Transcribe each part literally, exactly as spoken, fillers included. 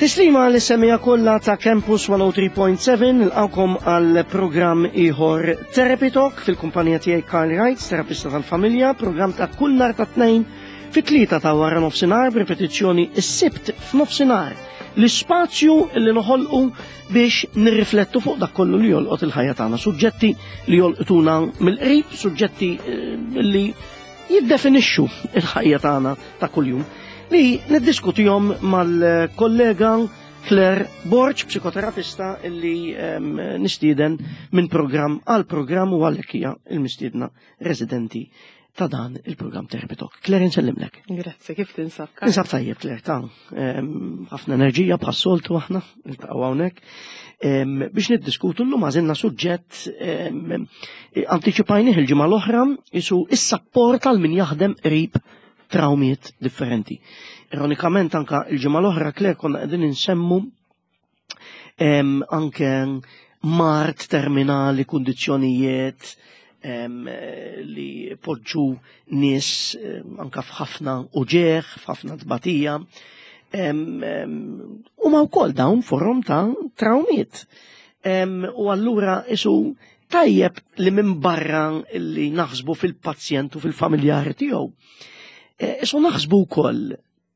Tislima lis-semmiegħa kollha ta' Campus mija u tlieta punt seba', nilqgħukom għal programm ieħor Therapy Talk fil-kumpanija tiegħi Karl Wright, terapista tal-familja, programm ta' kull nhar ta' Tnejn fit-tlieta ta' wara nofsinhar, b'ripetizzjoni is-Sibt f'nofsinhar. L-ispazju li noħolqu biex nirriflettu fuq dak kollu li jolqot il-ħajja tagħna, suġġetti li jolqtuna mill-qrib, suġġetti eh, li jiddefinixxu il-ħajja tagħna ta' kuljum, li niddiskutihom mal-kollega Claire Borg, psikoterapista illi um, nistieden minn program għal program u għalhekk hija il-mistiedna residenti ta' dan il-program Therapy Talk. Claire, nsellimlek. Grazzi, kif tinsab? Ninsab tajjeb, Claire, ta' ħafna enerġija bħas-soltu aħna, niltaqgħu hawnhekk. Biex niddiskutu llum għażilna suġġett antiċipajnih il-ġimgħa l-oħra, isu is-sapport għal min jaħdem qrib traumiet differenti. Ironikament anka il-ġimgħa l-oħra, Claire, konna qegħdin insemmu anke mard terminali, kundizzjonijiet li poġġu nies anka f'ħafna uġigħ, f'ħafna tbatija. U ma wkoll dawn forom ta' traumiet. U allura isu tajjeb li minn barra li naħsbu fil-pazjent u fil-familjari tiegħu. Isu naħsbu wkoll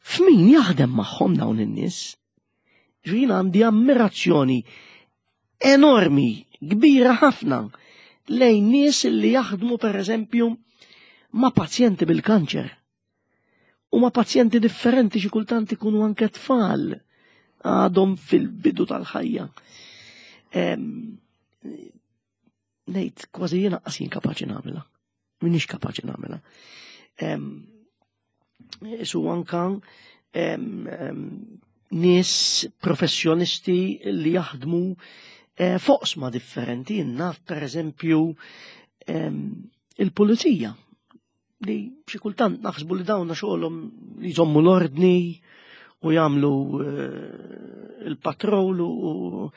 f'min jaħdem magħhom dawn in-nies. Ġina għandi ammirazzjoni enormi, kbira ħafna, lejn nies li jaħdmu, per eżempju, ma' pazjenti bil-kanċer. U ma' pazjenti differenti, xi kultant ikunu anke tfal għadhom fil-bidu tal-ħajja. Ngħid kważi jiena qas jien kapaċi nagħmilha. Minix kapaċi nagħmilha. Su anka nies professjonisti li jaħdmu eh, f'oqsma differenti, naf per eżempju il-pulizija, li xi kultant naħsbu li dawna xogħolhom li jżommu l-ordni u jagħmlu eh, il-patrol u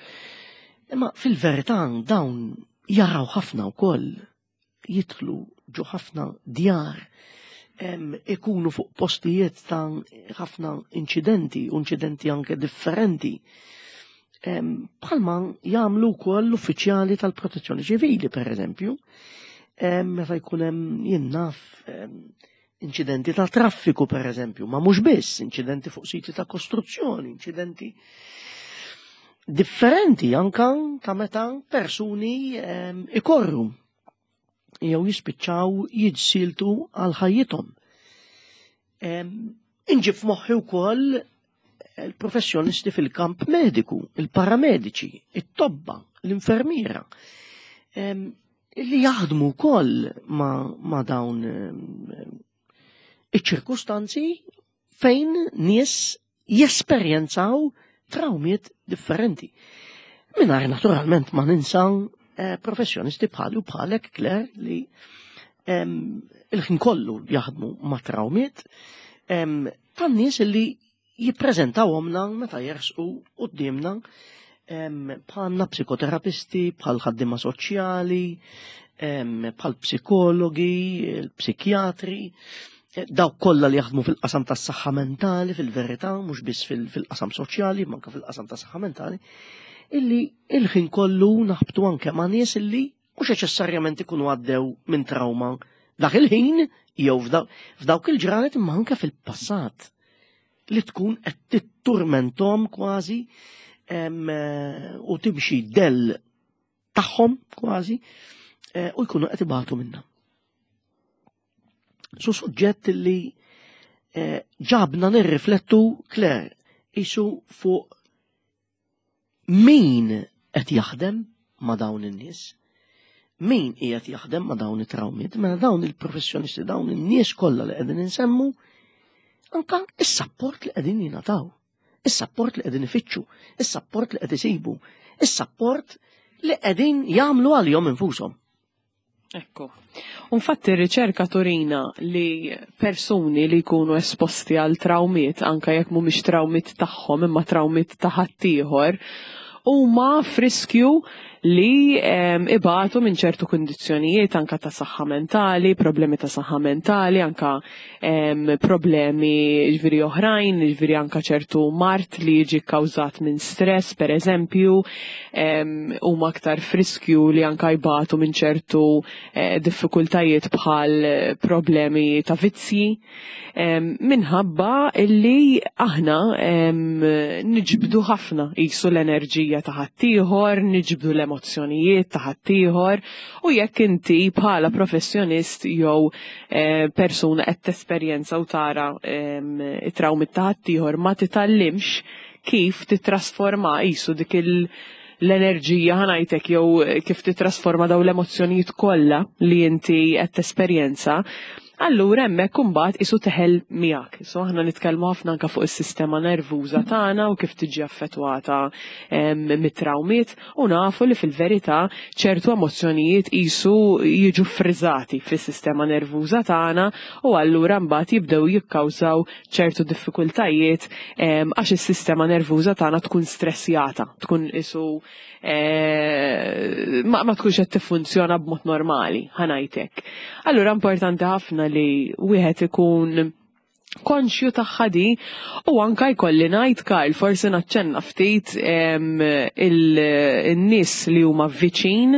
imma fil-verità dawn jaraw ħafna wkoll, jidħlu ġo ħafna djar, ikunu fuq postijiet ta' ħafna inċidenti, u inċidenti anke differenti. Bħalma jagħmlu wkoll l-uffiċjali tal-protezzjoni ċivili, per eżempju, meta jkun hemm, jien naf, inċidenti ta' traffiku, per eżempju, ma mhux biss, inċidenti fuq siti ta' kostruzzjoni, inċidenti differenti anka ta' meta persuni ikorru jew jispiċċaw jiġsiltu għal ħajjithom. Inġib f'moħħi wkoll il-professjonisti fil-kamp mediku, il-paramediċi, it-tobba, l-infermiera, li jaħdmu wkoll ma, ma dawn iċ-ċirkustanzi fejn nies jesperjenzaw traumiet differenti. Mingħajr naturalment ma ninsa eh, professjonisti bħali u bħalek, Claire, li il-ħin kollu jaħdmu ma' traumiet tan-nies li jippreżentawhomna meta jersqu quddiemna, bħalna psikoterapisti, bħal ħaddiema soċjali, bħal psikologi, psikjatri, dawk kollha li jaħdmu fil-qasam tas-saħħa mentali fil-verità, mhux biss fil-qasam soċjali, manka fil-qasam tas-saħħa mentali, illi il-ħin kollu naħbtu anke ma' nies illi mhux neċessarjament ikunu għaddew minn trauma dak il-ħin jew f'dawk il-ġranet, imma anke fil-passat li tkun qed titturmentom kważi u timxi del tagħhom kważi eh, u jkunu qed ibatu minnha. Su suġġett li eh, ġabna nirriflettu, Claire, isu fuq min qed jaħdem ma' dawn in-nies, min qiegħed jaħdem ma' dawn it-trawmiet, mela dawn il-professjonisti, dawn in-nies kollha li qegħdin insemmu, anka is-sapport li qegħdin jingħataw, is-sapport li qegħdin ifittxu, is-sapport li qed isibu, is-sapport li qegħdin jagħmlu għalihom infushom. Ekku. Infatti r-riċerka turina li persuni li jkunu esposti għal traumiet, anka jekk mhumiex traumiet tagħhom imma traumiet ta' ħaddieħor, huma f'riskju li ibatu minn ċertu kundizzjonijiet anka ta' saħħa mentali, problemi ta' saħħa mentali, anka problemi ġifieri oħrajn, ġifieri anka ċertu mard li jiġi kkawżat minn stress, per eżempju, huma aktar f'riskju li anka jbatu minn ċertu eh, diffikultajiet bħal problemi ta' vizzji, minħabba illi aħna niġbdu ħafna qisu l-enerġija ta' ħaddieħor, niġbdu l-emozzjonijiet ta' ħaddieħor, u jekk inti bħala professjonist jew eh, persuna qed tesperjenza u tara it-trawmi ta' ħaddieħor ma titgħallimx kif titrasforma qisu dik il- l-enerġija, ħa ngħidlek, jew kif titrasforma daw l-emozzjonijiet kollha li inti qed tesperjenza, allura hemmhekk imbagħad qisu teħel miegħek. So aħna nitkellmu ħafna anke fuq is-sistema nervuża tagħna u kif tiġi affettwata mit-trawmiet, u nafu li fil-verità ċertu emozzjonijiet qisu jiġu friżati fis-sistema nervuża tagħna u allura mbagħad jibdew jikkawżaw ċertu diffikultajiet għax is-sistema nervuża tagħna tkun stressjata, tkun qisu eh, ma, ma tkunx qed tiffunzjona b'mod normali, ħa ngħidlek. Allura importanti ħafna li wieħed ikun konxju tagħha di, u anka jkolli ngħid, Karl, forsi naċċenna ftit il-nies li huma viċin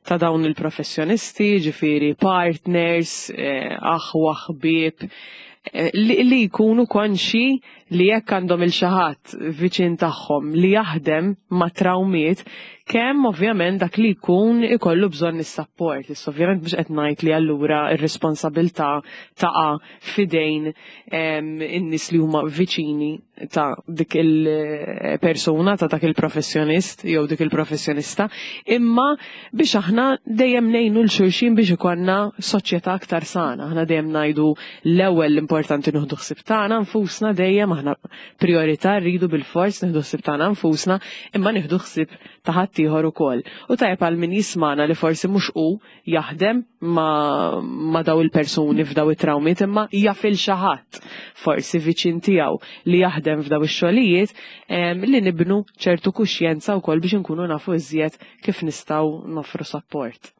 ta' dawn il-professjonisti, ġifieri partners, eh, aħwa, ħbieb, eh, li, li jkunu konxi li jekk għandhom lil xi ħadd viċin tagħhom li jaħdem ma' trawmiet, kemm ovvjament dak li jkun ikollu bżonn is-support. Issa ovvjament mhux qed ngħid li allura r-responsabilità taqa' f'idejn in-nies li huma viċini ta' dik il-persuna, ta' dak il-professjonist jew dik il-professjonista, imma biex aħna dejjem ngħinu lil xulxin biex ikollna soċjetà aktar sana. Aħna dejjem ngħidu l-ewwel l-importanti nieħdu ħsieb tagħna nfusna dejjem, aħna priorità rridu bil-fors nieħdu ħsieb tagħna nfusna, imma nieħdu ħsieb ta' ħaddieħor ukoll. U tajjeb għal min jismana li forsi mhux hu jaħdem ma, ma daw il-persuni f'daw it-trawmiet, imma jaf lil xi ħadd forsi viċin tiegħu li jaħdem f'daw ix-xogħlijiet, li nibnu ċertu kuxjenza wkoll biex inkunu nafu iżjed kif nistgħu noffru support.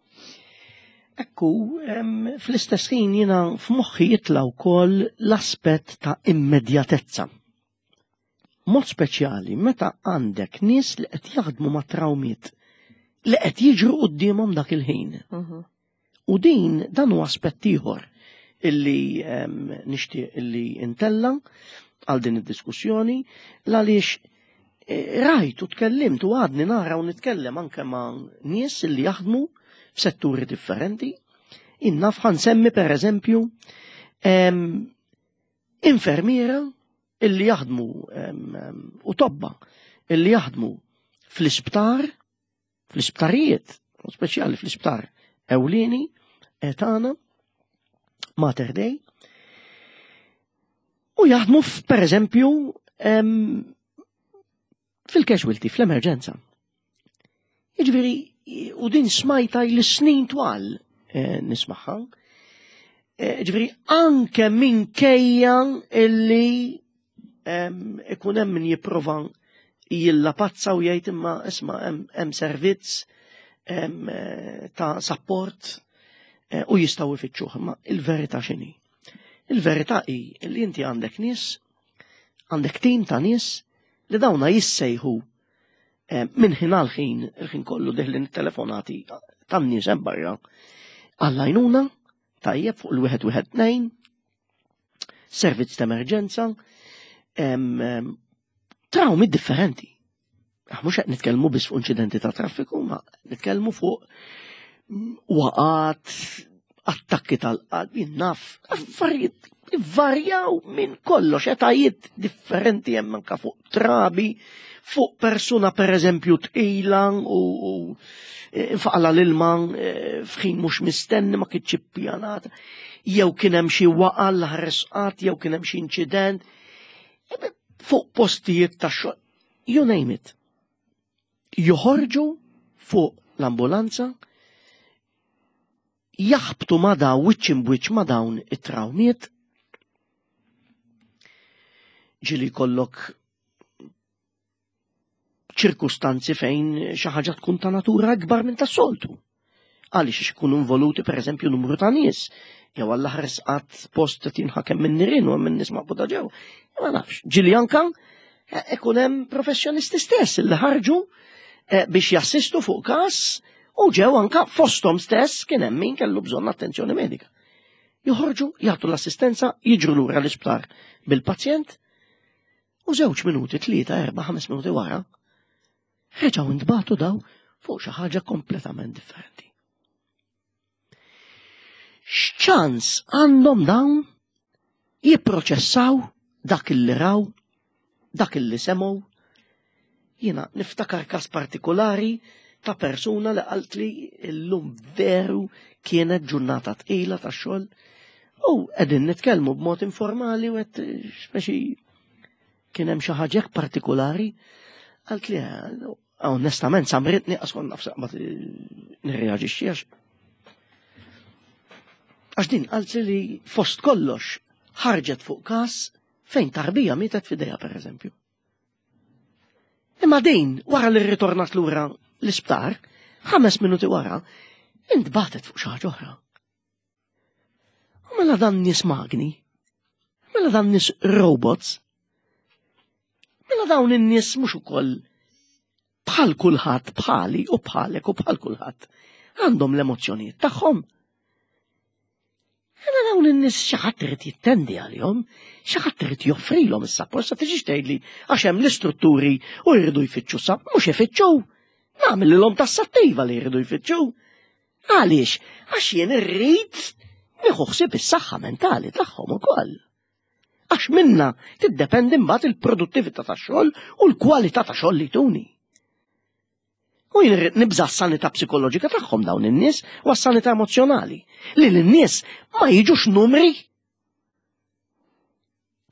Ekku, fl-istess ħin jiena f'moħħi jitla' wkoll l-aspett ta' immedjatezza. Mod speċjali meta għandek nies li qed jaħdmu ma' trawmiet li qed jiġru quddiemhom dak il-ħin. Mhm. U din dan huwa aspett ieħor illi nixtieq illi intella għal din id-diskussjoni, għaliex eh, rajt u tkellimt u għadni nara u nitkellem anke ma' nies illi jaħdmu f'setturi differenti. Innaf ħa nsemmi per eżempju infermiera illi jaħdmu u tobba illi jaħdmu fl-isptar, fl-isptarijiet, speċjali fl-isptar ewlieni tagħna Mater Dei, u jaħdmu per eżempju fil-casualty, fl-emerġenza. Jiġifieri, u din smajta li snin twal eh, nismagħha. Eh, ġifieri, anke minkejja illi ikun hemm min jipprova jillapazza u jgħid imma isma' hemm servizz eh, ta' support u jistgħu ifittxuh, imma il-verità x'inhi? Il-verità hi li inti għandek nies, għandek tim ta' nies li dawna jissejħu minn ħin għal ħin, il-ħin kollu deħlin telefonati tan-nies hemm barra għall-għajnuna, tajjeb, fuq il-wieħed wieħed tnejn, servizz ta' emerġenza, trawmi differenti. Ah, mhux qed nitkellmu biss fuq inċidenti ta' traffiku, ma nitkellmu fuq waqgħat, attakki tal-qalb, naf, affarijiet varjaw minn kollox, etajiet differenti hemm anka fuq trabi, fuq persuna per eżempju tqila u faqla l-ilma e, f'ħin mhux mistenni, ma kienx ippjanata, jew kien hemm xi waqa l-ħresqat, jew kien hemm xi inċident, e, fuq postijiet ta' xogħol, you name it. Joħorġu fuq l-ambulanza, jaħbtu ma daw wiċċ imbwiċċ ma dawn it-trawmiet, ġieli jkollok F'ċirkustanzi fejn xi ħaġa tkun ta' natura akbar minn tas-soltu. Għaliex ikunu involuti, pereżempju, numru ta' nies, jew għall ħares qatt post qed jinħakem minn nirien u minn nies maqbuda ġew. Ma nafx, ġieli anka eh, ikun hemm professjonisti stess li ħarġu eh, biex jassistu fuq każ u ġew anka fosthom stess kien hemm min kellu bżonn attenzjoni medika. Joħorġu, jagħtu l-assistenza, jiġru lura l-isptar bil-pazjent u żewġ minuti, tlieta, erba', ħames minuti wara, reġgħu ntbagħtu daw fuq xi ħaġa kompletament differenti. X'ċans għandhom dawn jipproċessaw dak illi raw, dak illi semgħu? Jiena niftakar każ partikolari ta' persuna li qaltli illum veru kienet ġurnata tqila ta' xogħol u qegħdin nitkellmu b'mod informali u qed speċi kien hemm xi ħaġa partikolari, qalt li onestament samritni għax kont naf saqbat nirreaġixxi, għax għax din qalt li fost kollox ħarġet fuq każ fejn tarbija mietet f'idejha, pereżempju. Imma din wara li rritornat lura l-isptar, ħames minuti wara, intbatet fuq xi ħaġa oħra. U mela dan nies magni, mela dan nies robots, mela dawn in-nies mhux ukoll bħal kulħadd, bħali u bħalek u bħal kulħadd, għandhom l-emozzjonijiet tagħhom? Mela dawn in-nies xi ħadd irid jittendi għalihom, xi ħadd irid joffrilhom is-sapport. Sa tiġix tgħidli għax hemm l-istrutturi u jridu jfittxu sab, mhux ifittxu. Nagħmel tassattiva li jridu jfittxu. Għaliex? Għax jien irrid nieħu ħsieb is-saħħa mentali tagħhom ukoll. Għax minna tiddependi mbagħad il-produttività tax-xogħol u l-kwalità ta' xogħol li tuni. U jien irrid nibża' s-sanità psikoloġika tagħhom dawn in-nies u s-sanità emozjonali. Li l-nies ma jiġux numri.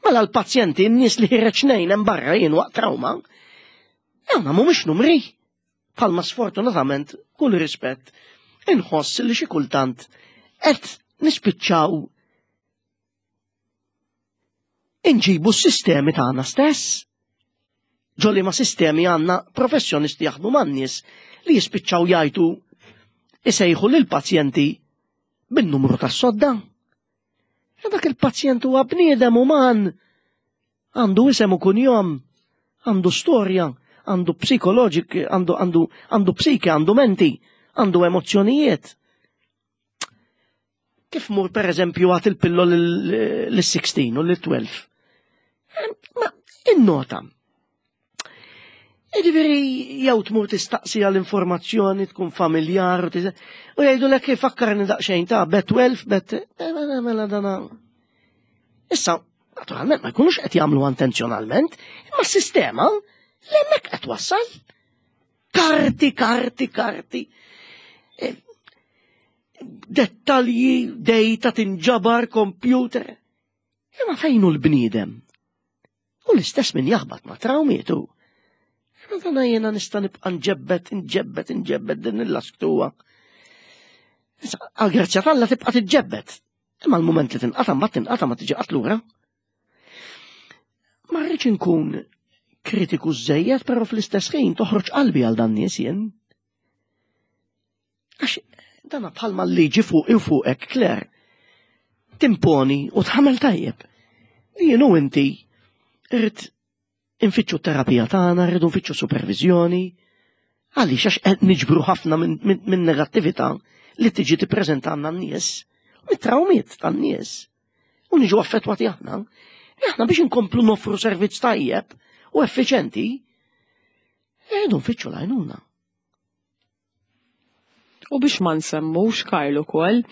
Mela l-pazjenti, n-nies li ħireġ nejn hemm barra jien waqt trauma, dawna mhumiex numri. Palma sfortunatament, kull rispett, inħoss li xi kultant qed nispiċċaw inġibu s-sistemi tagħna stess. Ġolli ma sistemi għandna professjonisti jaħdmu man-nies li jispiċċaw jgħidu, isejħu lil pazjenti bin-numru tas-sodda. E dak il-pazjent huwa bniedem uman, għandu isem u kunjom, għandu storja, għandu psikoloġik, għandu għandu għandu psike, għandu menti, għandu emozzjonijiet. Kif mur, per eżempju, għat il-pillol l-sittax u l-tnax? Ma innota. Jiġifieri jew tmur tistaqsi għall-informazzjoni, tkun familjar u jgħidu lek fakkarni daqsxejn ta' B tnax, bet mela, mela dana. Issa, naturalment ma jkunux qed jagħmlu intenzjonalment, imma s-sistema li hemmhekk qed wassal. Karti, karti, karti. E, dettalji, data tinġabar, computer. Imma fejn hu l-bniedem? U l-istess min jaħbat ma' trawmietu. Imma dana jiena nista' nibqa' nġebbet, nġebbet, nġebbet din il-lasktuwa. Għal-grazzja t'Alla tibqa' tiġġebbet. Imma l-mument li tinqata' mbagħad tinqata', ma tiġi qatt lura. Ma rridx inkun kritiku żejjed, però fl-istess ħin toħroġ qalbi għal dan nies jien. Għax dana bħalma l-liġi fuq u fuqek, Claire, timponi u tħamel tajjeb. Jien u inti irrid infittxu terapija tagħna, rridu nfittxu supervizjoni. Għaliex? Għax qed niġbru ħafna minn min, min negattività li tiġi tippreżentanna n-nies, mit-trawmiet tan-nies. U niġu affettwati aħna. Aħna biex inkomplu noffru servizz tajjeb u effiċenti, rridu nfittxu l-għajnuna. U biex ma nsemmux, Karl, ukoll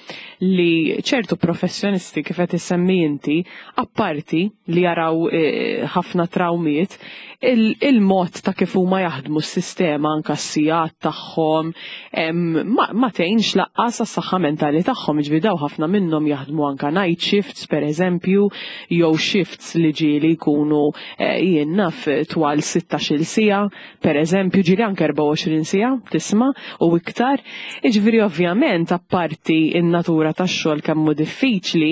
li ċertu professjonisti, kif qed issemmi inti, apparti li jaraw eh, ħafna trawmiet, il-mod ta' kif huma jaħdmu, s-sistema, anka s-sigħat tagħhom ma, ma tgħinx laqqas għas-saħħa mentali tagħhom. Ġifieri daw ħafna minnhom jaħdmu anka night shifts, pereżempju, jew shifts li ġieli jkunu eh, jien naf twal sittax-il siegħa, pereżempju, ġieli anke erbgħa u għoxrin siegħa tisma' u iktar. Jiġifieri ovvjament apparti in-natura tax-xogħol kemm hu diffiċli,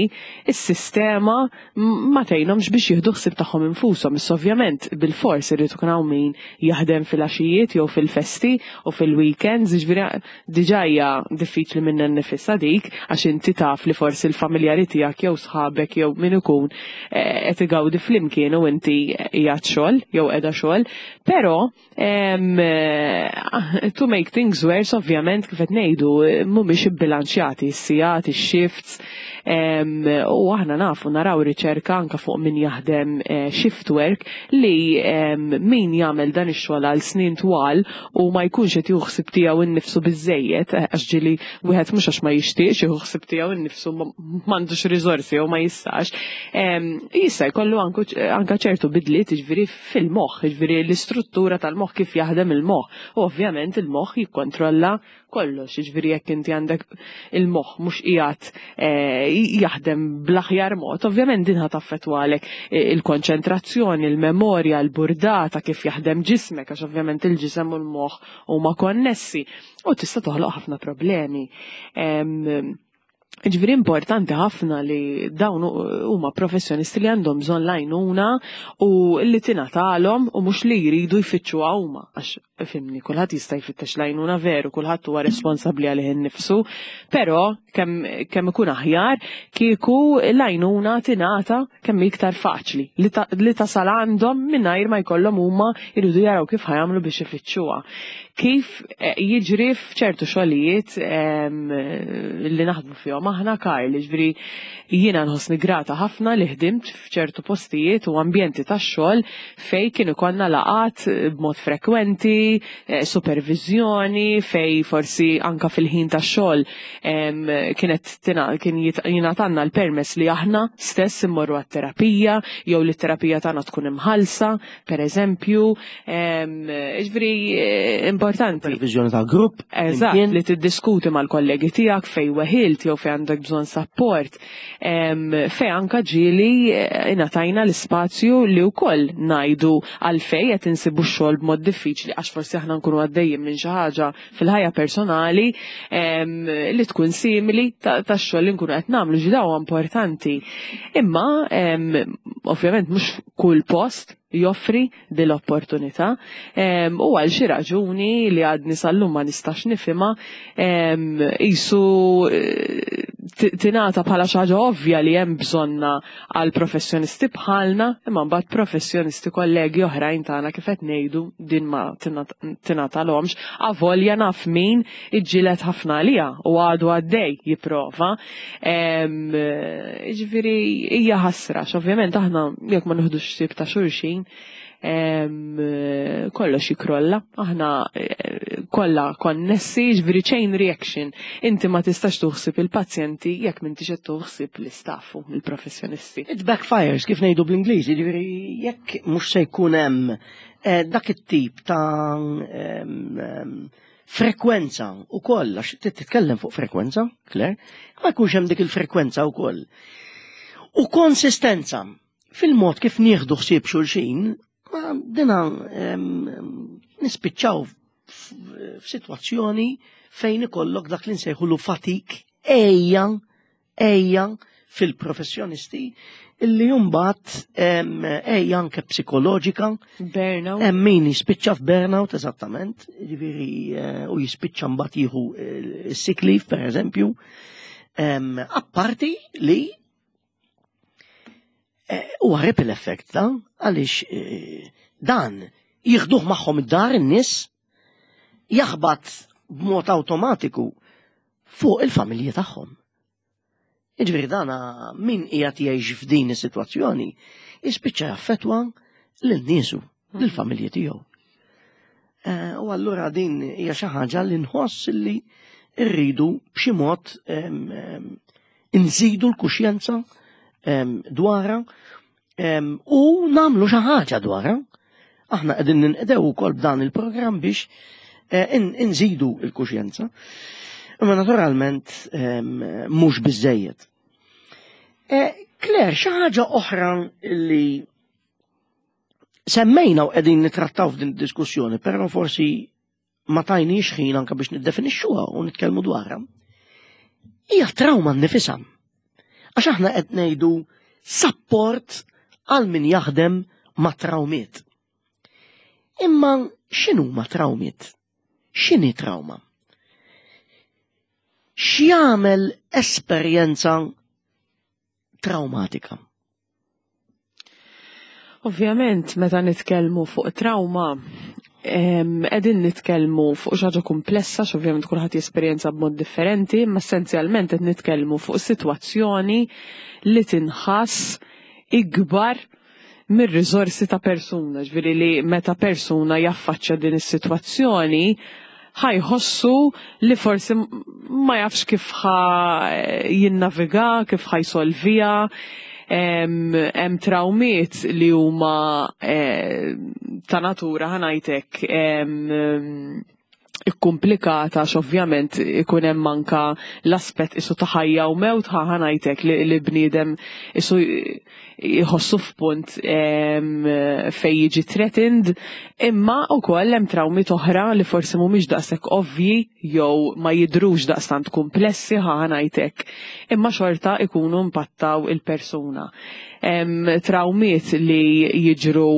is-sistema ma tgħinhomx biex jieħdu ħsieb tagħhom infushom. Issa ovvjament bil-fors irid ikun hawn min jaħdem fil-għaxijiet jew fil-festi u fil-weekends, jiġifieri diġà hija diffiċli minnha nnifisha dik għax inti taf li forsi l-familjari tiegħek jew sħabek jew min ikun eh, qed igawdi flimkien u inti qiegħed xogħol jew qiegħda xogħol, però eh, to make things worse ovvjament kif qed ngħidu mhumiex ibbilanċjati s-sigħat, ix-shifts, u aħna nafu naraw riċerka anka fuq min jaħdem eh, shift work li min jagħmel dan ix-xogħol għal snin twal u ma jkunx qed jieħu ħsieb tiegħu innifsu biżejjed, eh, għax ġieli wieħed mhux għax ma jixtieqx jieħu ħsieb tiegħu innifsu m'għandux riżorsi jew ma jistax, jista' jkollu anka ċertu bidliet jiġifieri fil-moħħ, jiġifieri l-istruttura tal-moħħ kif jaħdem il-moħħ. U ovvjament il-moħħ jikkontrolla kollox, jiġifieri jekk inti għandek il-moħħ mhux qiegħed eh, jaħdem bl-aħjar mod, ovvjament din ħa taffettwalek eh, il-konċentrazzjoni, il-memorja, l-burdata, kif jaħdem ġismek, għax ovvjament il-ġisem u l-moħħ huma konnessi u tista' toħloq ħafna problemi. Ġifieri importanti ħafna li dawn huma professjonisti li għandhom bżonn l-għajnuna u li tingħatalhom u mhux li jridu jfittxuha huma għax fhimni, kulħadd jista' jfittex l-għajnuna veru, kulħadd huwa responsabbli għalih innifsu, però kemm kemm ikun aħjar kieku l-għajnuna tingħata kemm iktar faċli li tasal għandhom mingħajr ma jkollhom huma jridu jaraw kif ħa jagħmlu biex ifittxuha. Kif eh, jiġri f'ċertu xogħlijiet li naħdmu fihom aħna Karl, ġifieri jiena nħossni grata ħafna li ħdimt f'ċertu postijiet u ambjenti tax-xogħol fej kien ikollna laqat b'mod frekwenti, eh, supervizjoni, fej forsi anka fil-ħin tax-xogħol kienet kien jingħatalna l-permess li aħna stess immorru għat-terapija jew li t-terapija tagħna tkun imħallsa, per eżempju, ġifieri eh, importanti. Supervizjoni ta' grupp. Eżatt, li tiddiskuti mal-kollegi tiegħek fej weħilt jew fej għandek bżonn support, fej anka ġieli eh, ingħatajna l-ispazju li wkoll ngħidu għalfej qed insibu x-xogħol b'mod diffiċli għax forsi aħna nkunu għaddejjin minn xi ħaġa fil-ħajja personali li tkun simili tax-xogħol li nkunu qed nagħmlu ġi daw importanti. Imma ovvjament mhux kull post joffri din l-opportunità u għal xi raġuni li għadni sal-lum ma nistax nifhimha qisu eh, tingħata bħala xi ħaġa ovvja li hemm bżonna għal professjonisti bħalna, imma mbagħad professjonisti kollegi oħrajn tagħna kif qed ngħidu din ma tingħatalhomx, avolja naf min iġġieled ħafna għaliha u għadu għaddej jipprova. Ġifieri hija ħasra, ovvjament aħna jekk ma nieħdux ħsieb ta' xulxin kollox jikrolla, aħna eh, kollha konnessi, ġifieri chain reaction. Inti ma tistax tuħsib il-pazjenti jekk m'intix qed tuħsib l-istaff u l-professjonisti. It backfires, kif ngħidu bl-Ingliż, ġifieri jekk mhux se jkun hemm eh, dak it-tip ta' frekwenza u koll, għax titkellem fuq frekwenza, Claire, ma jkunx hemm dik il-frekwenza u koll. U konsistenza fil-mod kif nieħdu ħsieb xulxin, ma dina nispiċċaw f'sitwazzjoni fejn ikollok dak li nsejħulu fatigue ejja, ejja fil-professjonisti illi jumbat ejja anke psikoloġika. Burnout. Hemm min jispiċċa f'burnout, eżattament, ġifieri eh, u jispiċċa mbagħad jieħu eh, sick leave, per eżempju. Apparti li eh, huwa ripple effect ta' għaliex dan jieħduh magħhom id-dar in-nies jaħbat b'mod awtomatiku fuq il-familji tagħhom. Jiġifieri dana min qiegħed jgħix f'din is-sitwazzjoni jispiċċa jaffettwa lil niesu, lill-familji tiegħu. Eh, u allura din hija xi ħaġa li nħoss li rridu b'xi mod nżidu l-kuxjenza dwarha u nagħmlu xi ħaġa dwarha. Aħna qegħdin ninqdew ukoll b'dan il-programm biex eh, nżidu l-kuxjenza. Imma naturalment mhux biżejjed. Eh, Claire, xi ħaġa oħra li semmejna u qegħdin nitrattaw f'din diskussjoni, però forsi ma tajniex ħin anka biex niddefinixxuha u nitkellmu dwarha, hija trauma nnifisha. Għax aħna qed ngħidu support għal min jaħdem ma' trawmiet. Imma x'inhuma trawmiet? X'inhi trauma? X'jagħmel esperjenza traumatika? Ovvjament, meta nitkellmu fuq trauma, qegħdin nitkellmu fuq xi ħaġa komplessa, x'ovvjament kulħadd jesperjenza b'mod differenti, imma essenzjalment qed nitkellmu fuq sitwazzjoni li tinħass ikbar mir-riżorsi ta' persuna, ġifieri li meta persuna jaffaċċja din is-sitwazzjoni ħa jħossu li forsi ma jafx kif ħa jinnaviga, kif ħa jsolvija. Hemm trawmiet li huma eh, ta' natura, ħa ngħidlek, ikkumplikata, x'ovvjament ikun hemm anka l-aspett isu ta' ħajja u mewt, ħa ngħidlek, li, li bniedem isu jħossu f'punt fejn jiġi threatened, imma wkoll hemm trawmi oħra li forsi mhumiex daqshekk ovvji jew ma jidrux daqstant komplessi, ħa ngħidlek, imma xorta ikunu impattaw il-persuna. Trawmiet li jiġru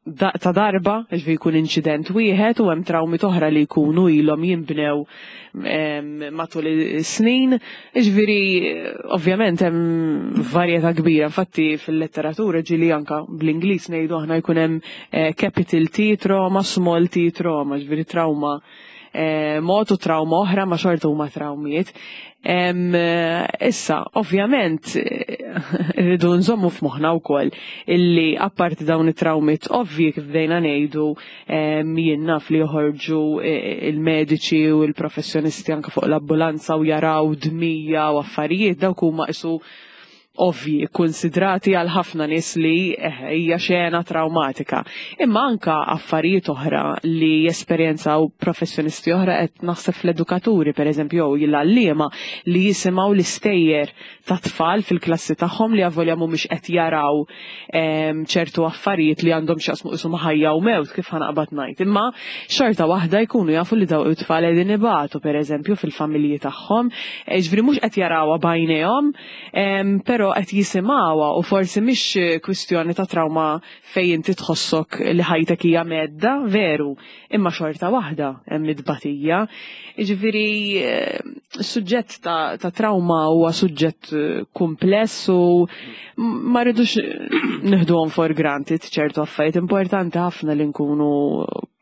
ta' darba, ġifieri jkun inċident wieħed, u hemm trawmi oħra li jkunu ilhom jinbnew matul is-snin. Ġifieri ovvjament hemm varjetà kbira, infatti fil-letteratura ġieli anka bl-Ingliż ngħidu aħna jkun hemm eh, capital T trauma, small t trauma, ġifieri trauma eh, mod u trauma oħra, ma xorta huma trawmiet. Issa, ovvjament, rridu nżommu f'moħħna wkoll illi apparti dawn it-trawmiet ovvji, kif bdejna ngħidu, jien naf li joħorġu e, il-mediċi u l-professjonisti anke fuq l-ambulanza u jaraw dmija u affarijiet, dawk huma isu ovvi konsidrati għal ħafna nies li eh, hija xena traumatika. Imma anka affarijiet oħra li jesperjenzaw professjonisti oħra, qed naħseb fl-edukaturi pereżempju jew l-għalliema li jisimgħu l-istejjer ta' tfal fil-klassi tagħhom li avolja mhumiex qed jaraw ċertu affarijiet li għandhom x'jaqsmu isu ħajja u mewt, kif ħa naqbad ngħid. Imma xorta waħda jkunu jafu li daw it-tfal qegħdin ibatu pereżempju fil-familji tagħhom, ġifieri mhux qed jarawha b'għajnejhom, però qed jisimgħuha, u forsi mhix kwistjoni ta' trauma fejn inti tħossok li ħajtek hija mhedda, veru, imma xorta waħda hemm it-tbatija. Jiġifieri eh, suġġett ta', ta trauma huwa suġġett eh, kumpless u ma rridux nieħduhom for granted ċertu affarijiet. Importanti ħafna li nkunu